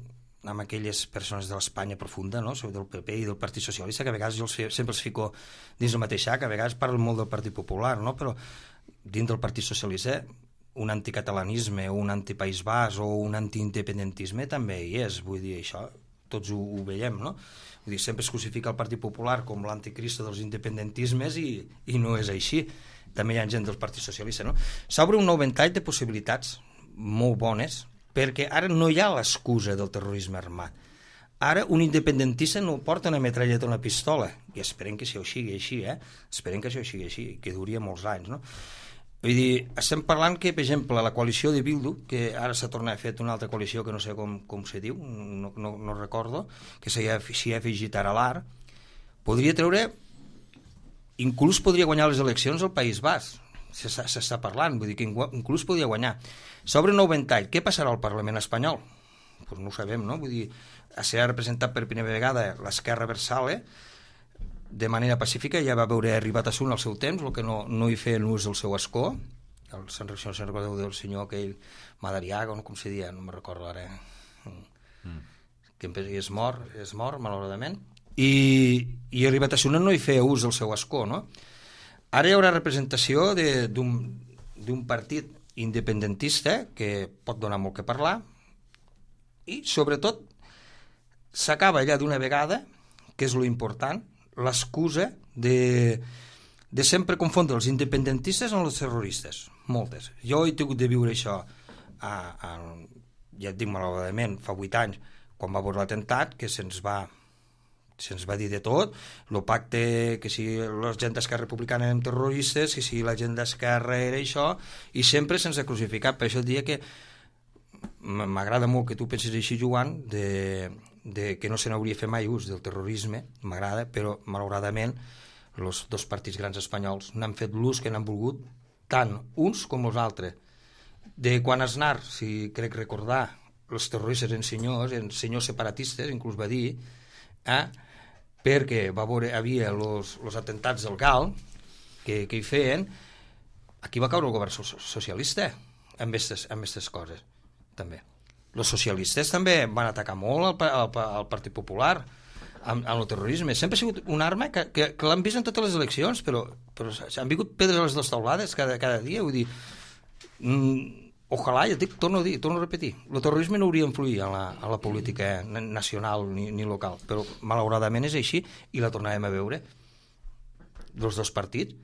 amb aquelles persones de l'Espanya profunda, no? Sobre del P P i del Partit Socialista, que a vegades jo els, sempre els fico dins el mateix sac, a vegades parlo molt del Partit Popular, no? Però dins del Partit Socialista un anticatalanisme o un antipaís basc o un antiindependentisme també hi és, vull dir, això tots ho, ho veiem, no? Vull dir, sempre es crucifica el Partit Popular com l'anticristo dels independentismes i, i no és així. També hi ha gent del Partit Socialista, no? S'obre un nou ventall de possibilitats molt bones, perquè ara no hi ha l'excusa del terrorisme armat. Ara un independentista no porta una metralleta o una pistola, i esperem que això sigui així, eh? Esperem que això sigui així, que duria molts anys, no? Vull dir, estem parlant que, per exemple, la coalició de Bildu, que ara s'ha tornat a fer una altra coalició que no sé com, com se diu, no, no, no recordo, que s'hi ha, s'hi ha afegit ara l'A R, podria treure, inclús podria guanyar les eleccions al País Basc, s'està parlant, vull dir que inclús podria guanyar. S'obre un nou ventall, què passarà al Parlament espanyol? Pues no ho sabem, no? Vull dir, serà representat per primera vegada l'Esquerra Abertzale, de manera pacífica, ja va veure arribat a Sun al seu temps, el que no, no hi feien ús del seu escó, el se'n recordeu del senyor aquell Madariaga, no, com se dia, no me'n recordo ara, mm. que és mort, és mort, malauradament, i, i arribat a Sun no hi feia ús del seu escó, no? Ara hi haurà representació d'un partit independentista que pot donar molt que parlar i, sobretot, s'acaba allà d'una vegada, que és lo important, l'excusa de, de sempre confondre els independentistes amb els terroristes, moltes. Jo he tingut de viure això, a, a, ja et dic malauradament, fa vuit anys, quan va haver l'atemptat, que se'ns va se'ns va dir de tot, el pacte, que si la gent d'Esquerra Republicana eren terroristes, que si la gent d'Esquerra era això, i sempre se'ns ha crucificat. Per això et dia que m'agrada molt que tu pensis així, Joan, de, de que no se n'hauria fet mai ús del terrorisme, m'agrada, però malauradament els dos partits grans espanyols n'han fet l'ús que n'han volgut, tant uns com els altres. De quan Aznar, si crec recordar, els terroristes eren senyors, eren senyors separatistes, inclús va dir, eh, perquè va veure, havia els atemptats del Gal que, que hi feien, aquí va caure el govern socialista amb aquestes coses també. Els socialistes també van atacar molt al, al, al Partit Popular amb, amb el terrorisme. Sempre ha sigut una arma que, que, que l'han vist en totes les eleccions, però, però s'han vingut pedres a les dues taulades cada, cada dia. Vull dir, mm, ojalà, ja dic, torno a dir, torno a repetir, el terrorisme no hauria d'influir a la, a la política nacional ni, ni local, però malauradament és així i la tornarem a veure dels dos partits,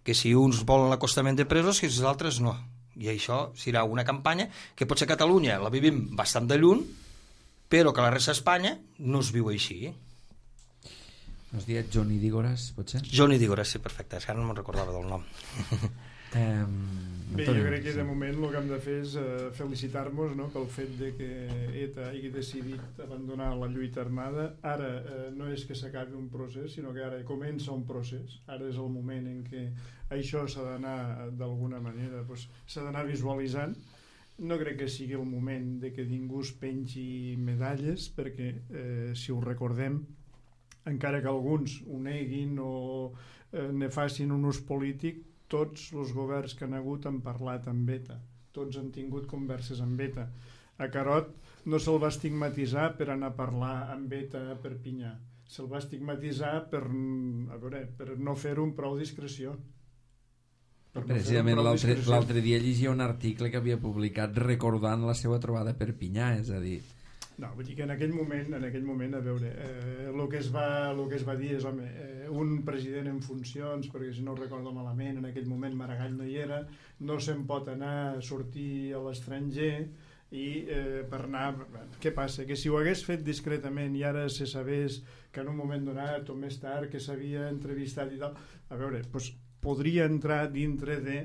que si uns volen l'acostament de presos, que els altres no. I això serà una campanya que potser a Catalunya la vivim bastant de lluny, però que a la resta d'Espanya no es viu així. Has dit Johnny Dígoras, potser? Johnny Dígoras, sí, perfecte, ara no me'n recordava del nom. Eh, Bé, jo crec que de moment el que hem de fer és uh, felicitar-nos, no?, pel fet de que ETA hagi decidit abandonar la lluita armada. Ara uh, no és que s'acabi un procés, sinó que ara comença un procés. Ara és el moment en què això s'ha d'anar, d'alguna manera, pues, s'ha d'anar visualitzant. No crec que sigui el moment de que ningú es pengi medalles, perquè, eh, si ho recordem, encara que alguns ho neguin o eh, ne facin un ús polític, tots els governs que han hagut han parlat amb ETA, tots han tingut converses amb ETA. A Carot no se'l va estigmatitzar per anar a parlar amb ETA a Perpinyà, se'l va estigmatitzar per, a veure, per no fer-ho amb prou discreció. Per Precisament no l'altre dia llegia un article que havia publicat recordant la seva trobada a Perpinyà, és a dir... No, vull dir que en aquell moment, en aquell moment, a veure, eh, el que es va, el que es va dir és, home, eh, un president en funcions, perquè si no ho recordo malament, en aquell moment Maragall no hi era, no se'n pot anar a sortir a l'estranger i eh, per anar... Què passa? Que si ho hagués fet discretament i ara se sabés que en un moment donat o més tard que s'havia entrevistat i tal, a veure, doncs podria entrar dintre de...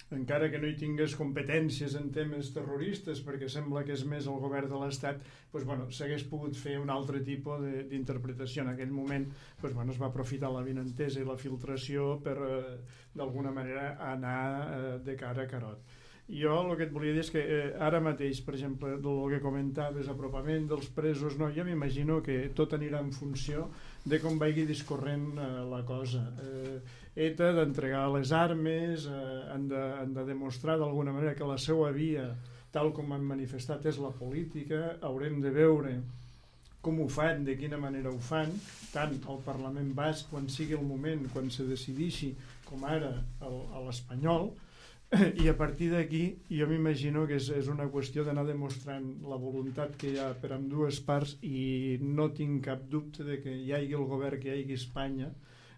encara que no hi tingués competències en temes terroristes, perquè sembla que és més el govern de l'Estat, doncs, bueno, s'hagués pogut fer un altre tipus d'interpretació. En aquell moment doncs, bueno, es va aprofitar la vinentesa i la filtració per, eh, d'alguna manera, anar eh, de cara a Carot. Jo el que et volia dir és que eh, ara mateix, per exemple, del que comentaves, apropament dels presos, no, jo m'imagino que tot anirà en funció de com vagi discorrent eh, la cosa. Eh, ETA d'entregar les armes, eh, han, de, han de demostrar d'alguna manera que la seva via, tal com han manifestat, és la política. Haurem de veure com ho fan, de quina manera ho fan, tant al Parlament Basc, quan sigui el moment, quan se decideixi, com ara el, a l'espanyol, i a partir d'aquí jo m'imagino que és, és una qüestió d'anar demostrant la voluntat que hi ha per ambdues parts, i no tinc cap dubte de que hi hagi el govern, que hi hagi Espanya,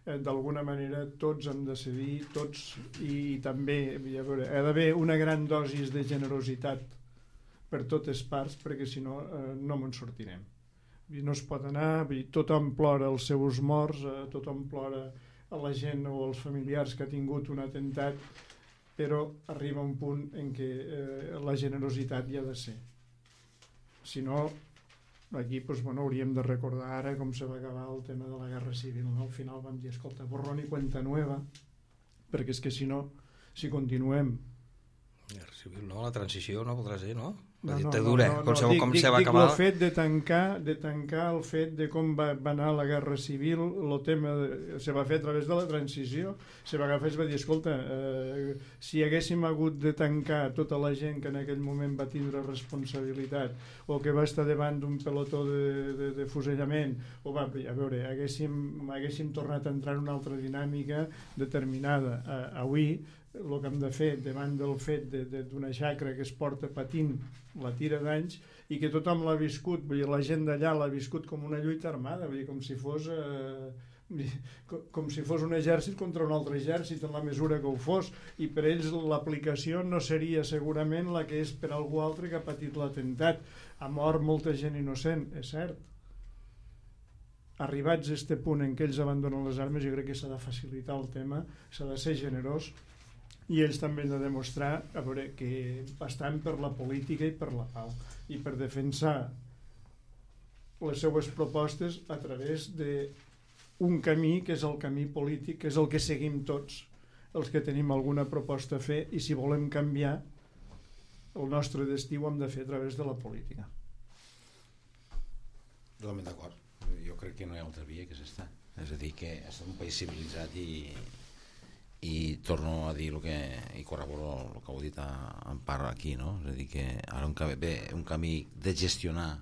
eh, d'alguna manera tots han de cedir, tots, i, i també a veure, ha d'haver una gran dosis de generositat per totes parts, perquè si no eh, no me'n sortirem. I no es pot anar, tothom plora els seus morts, eh, tothom plora a la gent o als familiars que ha tingut un atemptat, però arriba un punt en què eh, la generositat hi ha de ser. Si no, aquí doncs, bueno, hauríem de recordar ara com se va acabar el tema de la Guerra Civil. No? Al final vam dir, escolta, borrón i cuenta nueva, perquè és que si no, si continuem... Guerra Civil, no? La transició no voldrà ser, no? la No, no, dictadura, no, no, com, no, se, dic, com dic, se va dic acabar. el fet de tancar, de tancar el fet de com va, va anar la guerra civil, el tema de, se va fer a través de la transició, se va agafar i es va dir, escolta, eh, si haguéssim hagut de tancar tota la gent que en aquell moment va tindre responsabilitat o que va estar davant d'un pelotó de, de, de fusellament, o va, a veure, haguéssim, haguéssim tornat a entrar en una altra dinàmica determinada. Eh, avui, el que hem de fer davant del fet d'una de, de, xacra que es porta patint la tira d'anys i que tothom l'ha viscut, vull dir, la gent d'allà l'ha viscut com una lluita armada, vull dir, com si fos eh, com si fos un exèrcit contra un altre exèrcit en la mesura que ho fos, i per ells l'aplicació no seria segurament la que és per algú altre que ha patit l'atemptat. Ha mort molta gent innocent, és cert. Arribats a aquest punt en què ells abandonen les armes, jo crec que s'ha de facilitar el tema, s'ha de ser generós, i ells també han de demostrar a veure, que estan per la política i per la pau i per defensar les seues propostes a través d'un camí que és el camí polític, que és el que seguim tots els que tenim alguna proposta a fer, i si volem canviar el nostre destí ho hem de fer a través de la política. Totalment d'acord. Jo crec que no hi ha altra via que és esta. És a dir, que és un país civilitzat i i torno a dir el que i corroboro el que heu dit en part aquí, no? És a dir, que ara un camí, bé, un camí de gestionar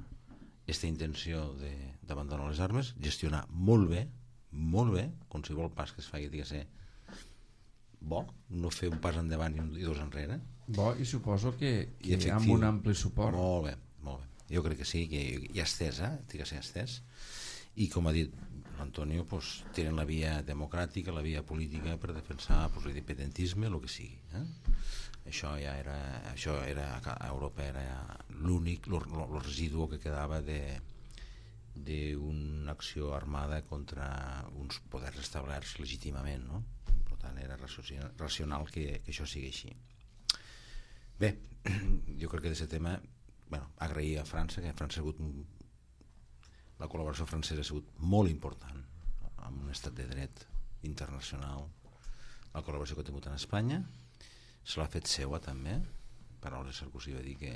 aquesta intenció d'abandonar les armes, gestionar molt bé, molt bé, qualsevol pas que es faci ha de ser bo, no fer un pas endavant i, un, i dos enrere. Bo, i suposo que, que I amb un ampli suport. Molt bé, molt bé. Jo crec que sí, que hi ha estès, eh? Té que ser estès. I com ha dit l'Antonio, pues, tenen la via democràtica, la via política per defensar pues, l'independentisme, el que sigui. Eh? Això ja era, això era a Europa era l'únic, el residu que quedava de d'una acció armada contra uns poders establerts legítimament, no? Per tant, era racional que, que això sigui així. Bé, jo crec que d'aquest tema, bueno, agrair a França, que a França ha hagut un la col·laboració francesa ha sigut molt important amb un estat de dret internacional. La col·laboració que ha tingut en Espanya se l'ha fet seua també. Paraules Sarkozy va dir que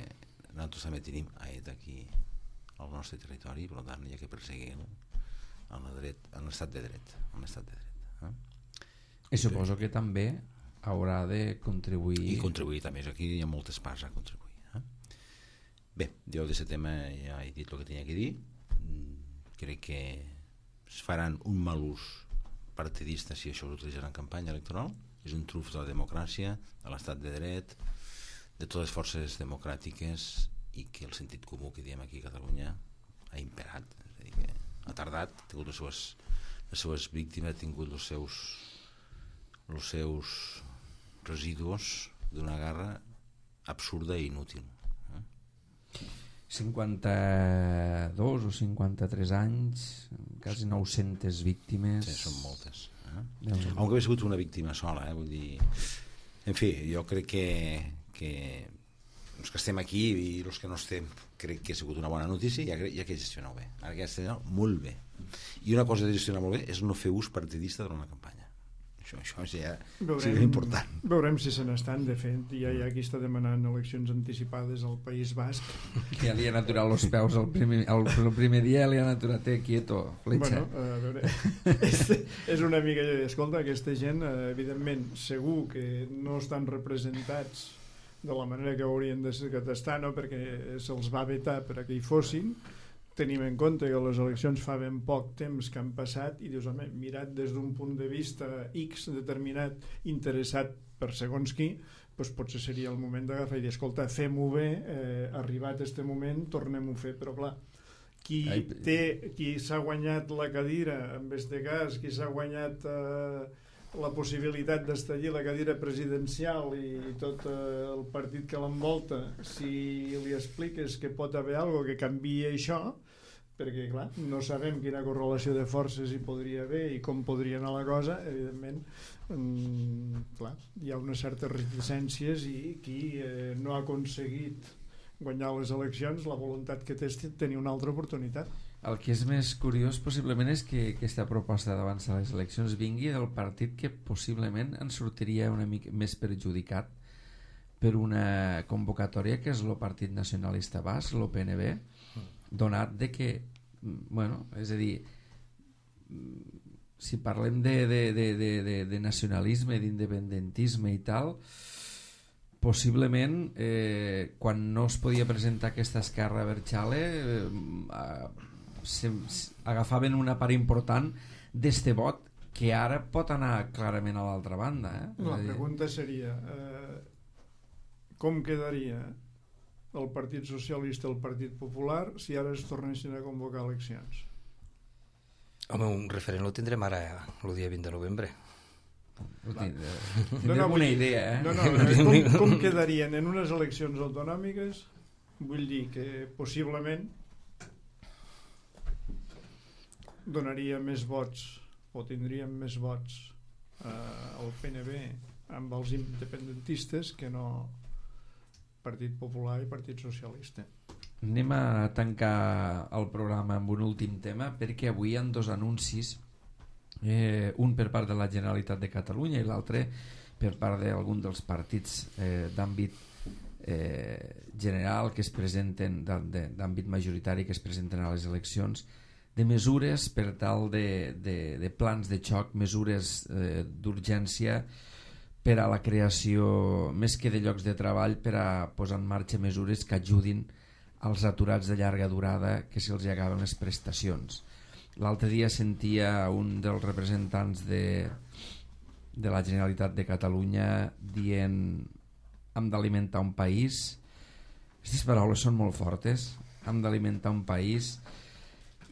nosaltres també tenim a ETA aquí al nostre territori, per tant hi ha que perseguir en l'estat de dret, en l'estat de dret. Eh? I suposo que també haurà de contribuir... I contribuir també, aquí hi ha moltes parts a contribuir. Eh? Bé, jo d'aquest tema ja he dit el que tenia que dir. Crec que es faran un mal ús partidista si això s'utilitzarà en campanya electoral. És un truf de la democràcia, de l'estat de dret, de totes les forces democràtiques, i que el sentit comú que diem aquí a Catalunya ha imperat. És a dir, que ha tardat, ha tingut les seves, les seves víctimes, ha tingut els seus, els seus residus d'una guerra absurda i inútil. cinquanta-dos o cinquanta-tres anys, quasi nou-centes víctimes. Sí, són moltes. Eh? Déu. Aunque hagi sigut una víctima sola, eh? Vull dir... En fi, jo crec que, que els que estem aquí i els que no estem, crec que ha sigut una bona notícia i hi ha, hi ha que gestionar bé. Ara que gestionar molt bé. I una cosa de gestionar molt bé és no fer ús partidista durant la campanya. Això, això ja és important. Veurem si se n'estan, de fet. Ja hi ha qui està demanant eleccions anticipades al País Basc. Ja li han aturat els peus el primer, el, el primer dia, li han aturat, eh, quieto, fletxa. Bueno, a veure, és, és una mica... Escolta, aquesta gent, evidentment, segur que no estan representats de la manera que haurien d'estar, no? Perquè se'ls va vetar per a que hi fossin. Tenim en compte que les eleccions fa ben poc temps que han passat i dius, home, mirat des d'un punt de vista X determinat, interessat per segons qui, doncs potser seria el moment d'agafar i dir, escolta, fem-ho bé, eh, arribat a aquest moment, tornem-ho a fer, però clar, qui té, qui s'ha guanyat la cadira, en este cas, qui s'ha guanyat eh, la possibilitat d'estallir la cadira presidencial i tot eh, el partit que l'envolta, si li expliques que pot haver alguna que canvia això, perquè clar, no sabem quina correlació de forces hi podria haver i com podria anar la cosa, evidentment mm, clar, hi ha unes certes reticències i qui eh, no ha aconseguit guanyar les eleccions, la voluntat que té és tenir una altra oportunitat. El que és més curiós possiblement és que aquesta proposta d'avançar les eleccions vingui del partit que possiblement en sortiria una mica més perjudicat per una convocatòria que és el Partit Nacionalista Basc, l'O P N B, donat de que, bueno, és a dir, si parlem de, de, de, de, de, de nacionalisme, d'independentisme i tal, possiblement eh, quan no es podia presentar aquesta esquerra Berchale eh, se, agafaven una part important d'este vot que ara pot anar clarament a l'altra banda. Eh? La pregunta seria eh, com quedaria el Partit Socialista i el Partit Popular si ara es tornessin a convocar eleccions? Home, un referent lo tindrem ara el dia vint de novembre. No, no, una idea, eh? No, no, com, com quedarien en unes eleccions autonòmiques? Vull dir que possiblement donaria més vots o tindríem més vots eh, al P N B amb els independentistes que no Partit Popular i Partit Socialista. Anem a tancar el programa amb un últim tema, perquè avui hi ha dos anuncis, eh, un per part de la Generalitat de Catalunya i l'altre per part d'algun dels partits eh, d'àmbit eh, general que es presenten, d'àmbit majoritari que es presenten a les eleccions, de mesures per tal de, de, de plans de xoc, mesures eh, d'urgència per a la creació, més que de llocs de treball, per a posar en marxa mesures que ajudin als aturats de llarga durada que se'ls acaben les prestacions. L'altre dia sentia un dels representants de, de la Generalitat de Catalunya dient hem d'alimentar un país. Aquestes paraules són molt fortes, hem d'alimentar un país,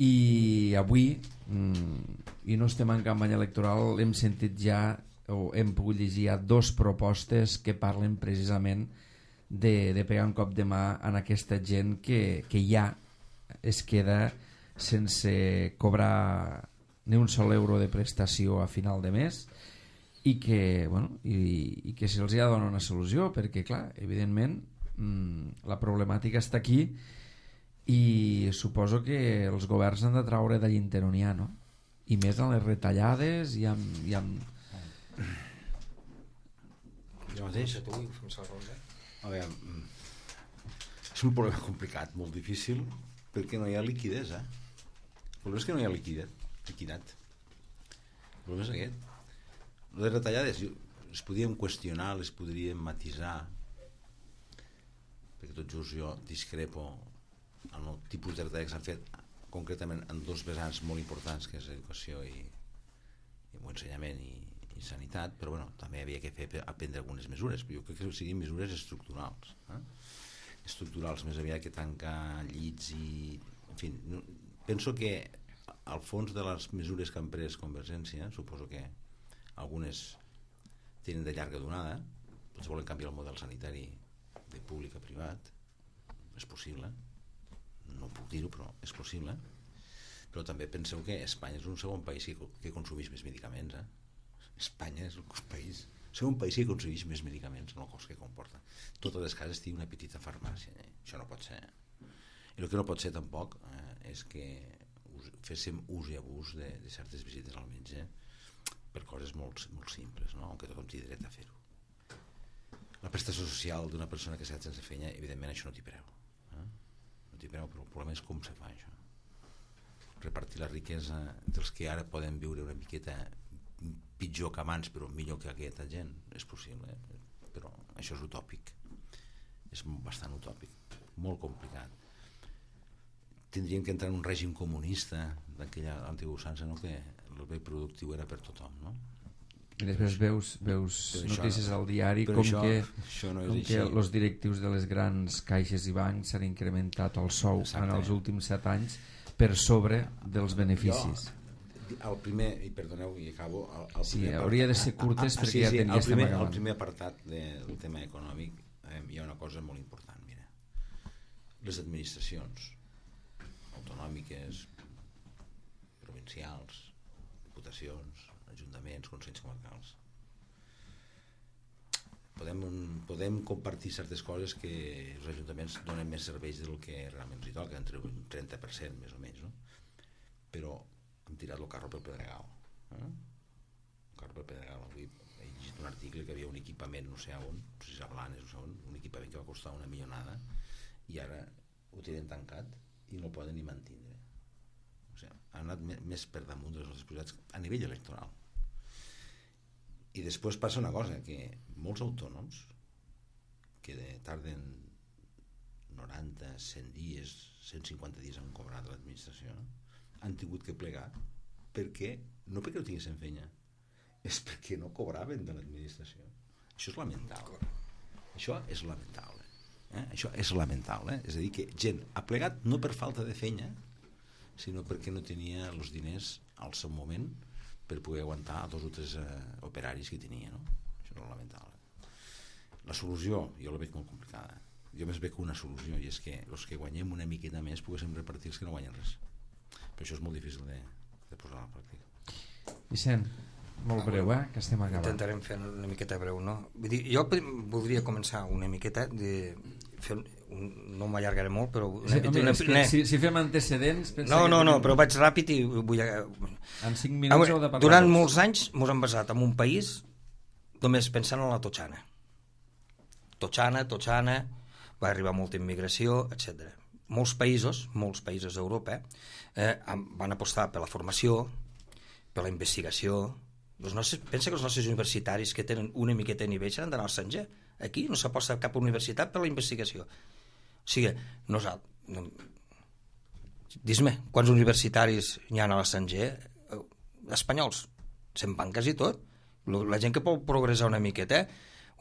i avui, i no estem en campanya electoral, hem sentit ja o hem pogut llegir ja dos propostes que parlen precisament de, de pegar un cop de mà en aquesta gent que, que ja es queda sense cobrar ni un sol euro de prestació a final de mes i que, bueno, i, i que se'ls ha de donar una solució, perquè clar, evidentment mmm, la problemàtica està aquí i suposo que els governs han de traure de l'inter on hi ha, no? I més en les retallades i amb, i amb... Jo mateix? A veure, és un problema complicat, molt difícil, perquè no hi ha liquidesa. El problema és que no hi ha liquidat. liquidat. El problema és aquest. Les retallades les podíem qüestionar, les podríem matisar, perquè tot just jo discrepo en el tipus de retallades que s'han fet concretament en dos vessants molt importants, que és educació i, i ensenyament i, i sanitat, però bueno, també havia que fer aprendre algunes mesures, però jo crec que siguin mesures estructurals, eh? estructurals més aviat que tancar llits i... En fi, no, penso que al fons de les mesures que han pres Convergència, suposo que algunes tenen de llarga durada, potser volen canviar el model sanitari de públic a privat, és possible, no puc dir-ho, però és possible. Però també penseu que Espanya és un segon país que, que consumeix més medicaments. Eh? Espanya és un país, segon país que consumeix més medicaments en el cost que comporta. Totes les cases tenen una petita farmàcia. Eh? Això no pot ser. I el que no pot ser tampoc eh, és que us, féssim ús i abús de, de certes visites al metge per coses molt, molt simples, no? Aunque tothom té dret a fer-ho. La prestació social d'una persona que s'ha quedat sense feina, evidentment això no t'hi preu. Però el problema és com se fa això, repartir la riquesa dels que ara poden viure una miqueta pitjor que abans però millor que aquesta gent, és possible, eh? Però això és utòpic, és bastant utòpic, molt complicat. Tindríem que entrar en un règim comunista d'aquella antiga usança, no? Que el bé productiu era per tothom, no? I després veus, veus notícies això, al diari com això, que, això no com que els directius de les grans caixes i bancs s'han incrementat el sou Exacte. En els últims set anys per sobre dels beneficis. Jo, el primer, i perdoneu, i acabo... El, el sí, hauria de ser curtes ah, ah, perquè sí, ja sí, tenia el primer, estem el primer apartat de, del tema econòmic eh, hi ha una cosa molt important, mira. Les administracions autonòmiques, provincials, diputacions, ajuntaments, consells comarcals, podem, podem compartir certes coses que els ajuntaments donen més serveis del que realment els hi toca, entre un trenta per cent més o menys, no? Però hem tirat el carro pel pedregal, eh? el carro pel pedregal. Avui he llegit un article que havia un equipament no sé on, no sé si a Blanes, no sé on, un equipament que va costar una milionada i ara ho tenen tancat i no el poden ni mantindre. O sigui, han anat més per damunt de les nostres possibilitats a nivell electoral. I després passa una cosa, que molts autònoms que tarden noranta, cent dies, cent cinquanta dies en cobrar de l'administració, han tingut que plegar perquè, no perquè no tinguessin feina, és perquè no cobraven de l'administració. Això és lamentable. Això és lamentable. Eh? Això és lamentable. Eh? És a dir, que gent ha plegat no per falta de feina, sinó perquè no tenia els diners al seu moment per poder aguantar dos o tres eh, operaris que tenia. No? Això és lamentable. La solució, jo la veig molt complicada. Jo més veig una solució, i és que els que guanyem una miqueta més poguéssim repartir els que no guanyen res. Però això és molt difícil de, de posar a la pràctica. Vicent, molt breu, eh? Que estem acabant. Intentarem fer una miqueta breu, no? Vull dir, jo voldria començar una miqueta de fer un, no m'allargaré molt, però una, sí, home, una, una, si, si fem antecedents... No, no, no, però vaig ràpid i vull... En cinc minuts heu de parlar. Durant tots. Molts anys ens hem basat en un país només pensant en la totxana. Totxana, totxana, va arribar molta immigració, etcètera. Molts països, molts països d'Europa eh, van apostar per la formació, per la investigació. Els nostres, pensa que els nostres universitaris que tenen una miqueta de nivell s'han d'anar al Sanger. Aquí no s'aposta cap universitat per la investigació. O sigui, nosaltres... No, dis-me, quants universitaris hi ha a l'estranger? Espanyols. Se'n van quasi tot. La gent que pot progressar una miqueta,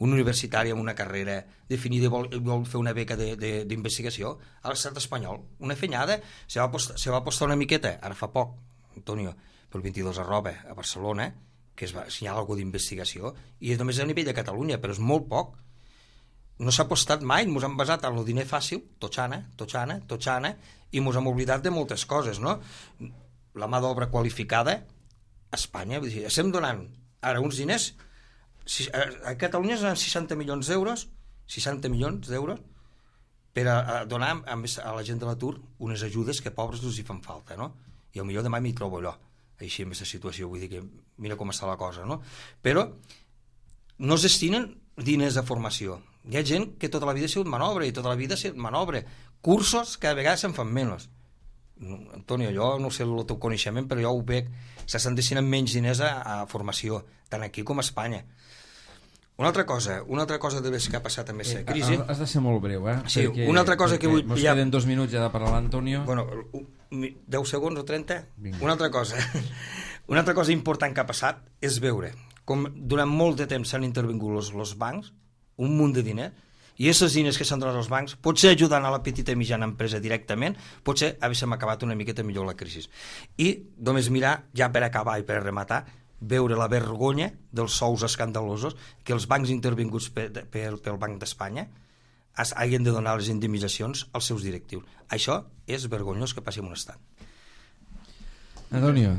un universitari amb una carrera definida i vol, vol fer una beca d'investigació a l'estat espanyol, una fenyada, se va, apostar, se va apostar una miqueta, ara fa poc, Antonio, pel vint-i-dos arroba a Barcelona, que es va assenyalar alguna d'investigació, i és només a nivell de Catalunya, però és molt poc. No s'ha apostat mai, ens hem basat en el diner fàcil, totxana, totxana, totxana, i ens hem oblidat de moltes coses, no? La mà d'obra qualificada, a Espanya, vull dir, estem donant ara uns diners, a Catalunya es donen seixanta milions d'euros, seixanta milions d'euros, per a, a donar a, a la gent de l'atur unes ajudes que pobres els hi fan falta, no? I potser demà m'hi trobo allò, així en aquesta situació, vull dir que mira com està la cosa, no? Però no es destinen diners de formació. Hi ha gent que tota la vida ha sigut manobre i tota la vida ha sigut manobre. Cursos que a vegades se'n fan menys. Antonio, jo no sé el teu coneixement, però jo ho veig, s'estan destinant menys diners a, a formació, tant aquí com a Espanya. Una altra cosa, una altra cosa de que ha passat amb aquesta crisi... Eh, has de ser molt breu, eh? Sí, perquè, una altra cosa que vull... Mos ja... queden dos minuts ja de parlar l'Antonio. Bueno, deu segons o trenta? Vinga. Una altra cosa. Una altra cosa important que ha passat és veure com durant molt de temps s'han intervingut els, els bancs, un munt de diners, i aquests diners que s'han donat als bancs, potser ajudant a la petita i mitjana empresa directament, potser haguéssim acabat una miqueta millor la crisi. I només mirar, ja per acabar i per rematar, veure la vergonya dels sous escandalosos que els bancs intervinguts per, per, pel Banc d'Espanya hagin de donar les indemnitzacions als seus directius. Això és vergonyós que passi en un estat. Antonio.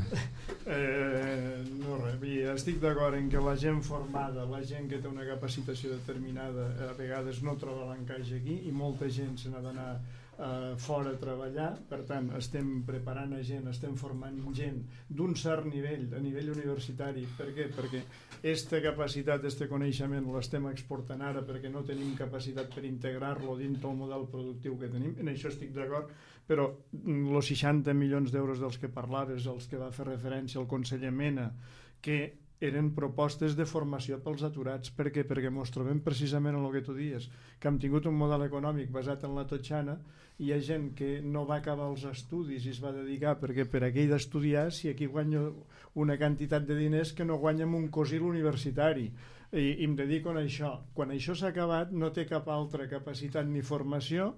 Eh, no res, estic d'acord en que la gent formada, la gent que té una capacitació determinada, a vegades no troba l'encaix aquí i molta gent se n'ha d'anar eh, fora a treballar. Per tant, estem preparant a gent, estem formant gent d'un cert nivell, a nivell universitari. Per què? Perquè aquesta capacitat, aquest coneixement l'estem exportant ara perquè no tenim capacitat per integrar-lo dins del model productiu que tenim. En això estic d'acord, però els seixanta milions d'euros dels que parlaves, els que va fer referència el conseller Mena, que eren propostes de formació pels aturats. Per què? Perquè ens trobem precisament en el que tu dies, que hem tingut un model econòmic basat en la totxana, i hi ha gent que no va acabar els estudis i es va dedicar perquè per aquell d'estudiar, si aquí guanyo una quantitat de diners que no guanya amb un cosil universitari, i, i em dedico a això. Quan això s'ha acabat no té cap altra capacitat ni formació,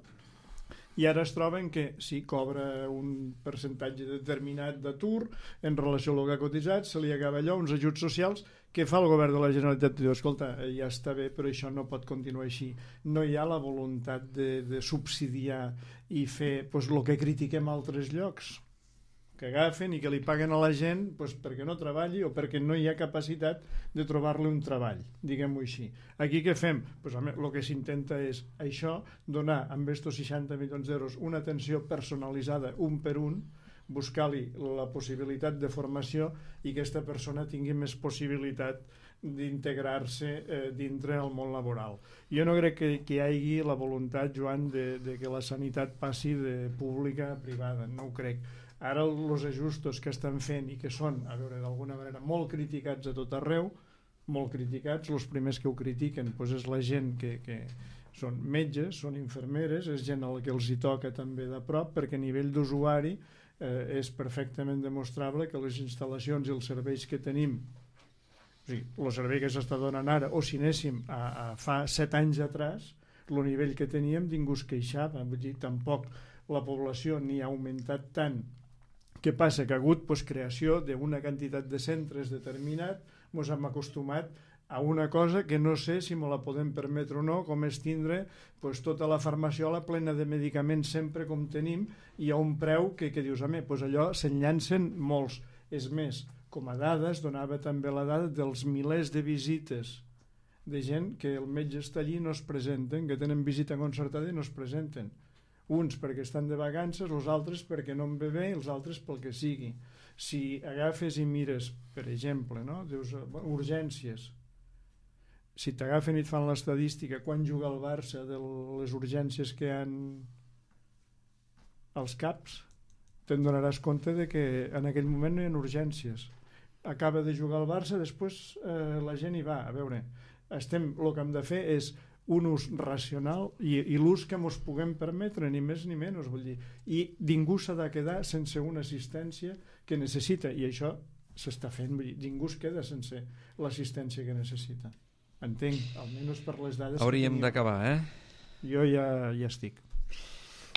i ara es troben que si cobra un percentatge determinat d'atur en relació a el que ha cotitzat, se li acaba allò, uns ajuts socials que fa el govern de la Generalitat. Diu, escolta, ja està bé, però això no pot continuar així. No hi ha la voluntat de, de subsidiar i fer pues, el que critiquem a altres llocs, que agafen i que li paguen a la gent pues, perquè no treballi o perquè no hi ha capacitat de trobar-li un treball, diguem-ho així. Aquí què fem? Pues, home, el que s'intenta és això, donar amb estos seixanta milions d'euros una atenció personalitzada un per un, buscar-li la possibilitat de formació i que aquesta persona tingui més possibilitat d'integrar-se eh, dintre el món laboral. Jo no crec que, que hi hagi la voluntat, Joan, de, de que la sanitat passi de pública a privada, no ho crec. Ara els ajustos que estan fent i que són, a veure, d'alguna manera molt criticats a tot arreu, molt criticats, els primers que ho critiquen doncs és la gent que, que són metges, són infermeres, és gent al que els hi toca també de prop, perquè a nivell d'usuari eh, és perfectament demostrable que les instal·lacions i els serveis que tenim, o sigui, el servei que s'està donant ara, o si anéssim a, a fa set anys atrás, el nivell que teníem ningú es queixava, vull dir, tampoc la població ni ha augmentat tant. Què passa? Que ha hagut pues, creació d'una quantitat de centres determinat, ens hem acostumat a una cosa que no sé si me la podem permetre o no, com és tindre pues, tota la farmaciola plena de medicaments sempre com tenim i a un preu que, que dius, a mi, pues allò se'n llancen molts. És més, com a dades, donava també la dada dels milers de visites de gent que el metge està allí i no es presenten, que tenen visita concertada i no es presenten. Uns perquè estan de vacances, els altres perquè no en ve bé i els altres pel que sigui. Si agafes i mires, per exemple, no? Dius, urgències, si t'agafen i et fan l'estadística quan juga el Barça de les urgències que hi ha als CAPs, te'n donaràs compte de que en aquell moment no hi ha urgències. Acaba de jugar el Barça, després eh, la gent hi va. A veure, estem, el que hem de fer és un ús racional i, i l'ús que ens puguem permetre, ni més ni menys, vull dir. I ningú s'ha de quedar sense una assistència que necessita, i això s'està fent, vull dir, ningú es queda sense l'assistència que necessita. Entenc, almenys per les dades. Hauríem d'acabar, eh? Jo ja, ja estic.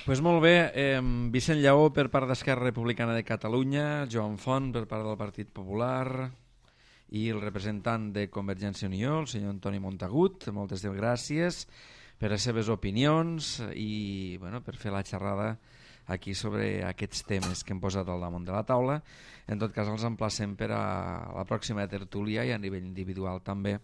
Pues molt bé, eh, Vicent Lleó per part d'Esquerra Republicana de Catalunya, Joan Font per part del Partit Popular i el representant de Convergència i Unió, el senyor Antoni Montagut. Moltes gràcies per les seves opinions i bueno, per fer la xerrada aquí sobre aquests temes que hem posat al damunt de la taula. En tot cas, els emplacem per a la pròxima tertúlia i a nivell individual també,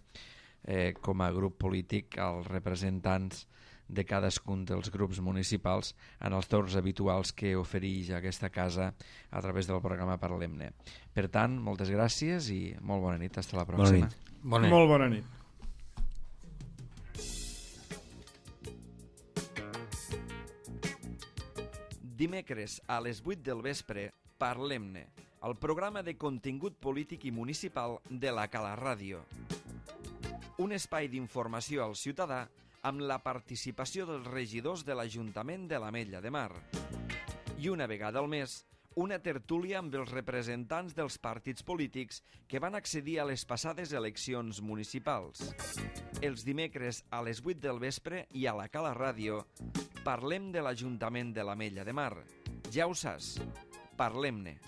eh, com a grup polític, als representants de cadascun dels grups municipals en els torns habituals que ofereix aquesta casa a través del programa Parlem-ne. Per tant, moltes gràcies i molt bona nit. Hasta la pròxima. Bona nit. Bona nit. Molt bona nit. Dimecres a les vuit del vespre, Parlem-ne, el programa de contingut polític i municipal de la Cala Ràdio. Un espai d'informació al ciutadà amb la participació dels regidors de l'Ajuntament de l'Ametlla de Mar. I una vegada al mes, una tertúlia amb els representants dels partits polítics que van accedir a les passades eleccions municipals. Els dimecres a les vuit del vespre i a la Cala Ràdio parlem de l'Ajuntament de l'Ametlla de Mar. Ja ho saps, parlem-ne.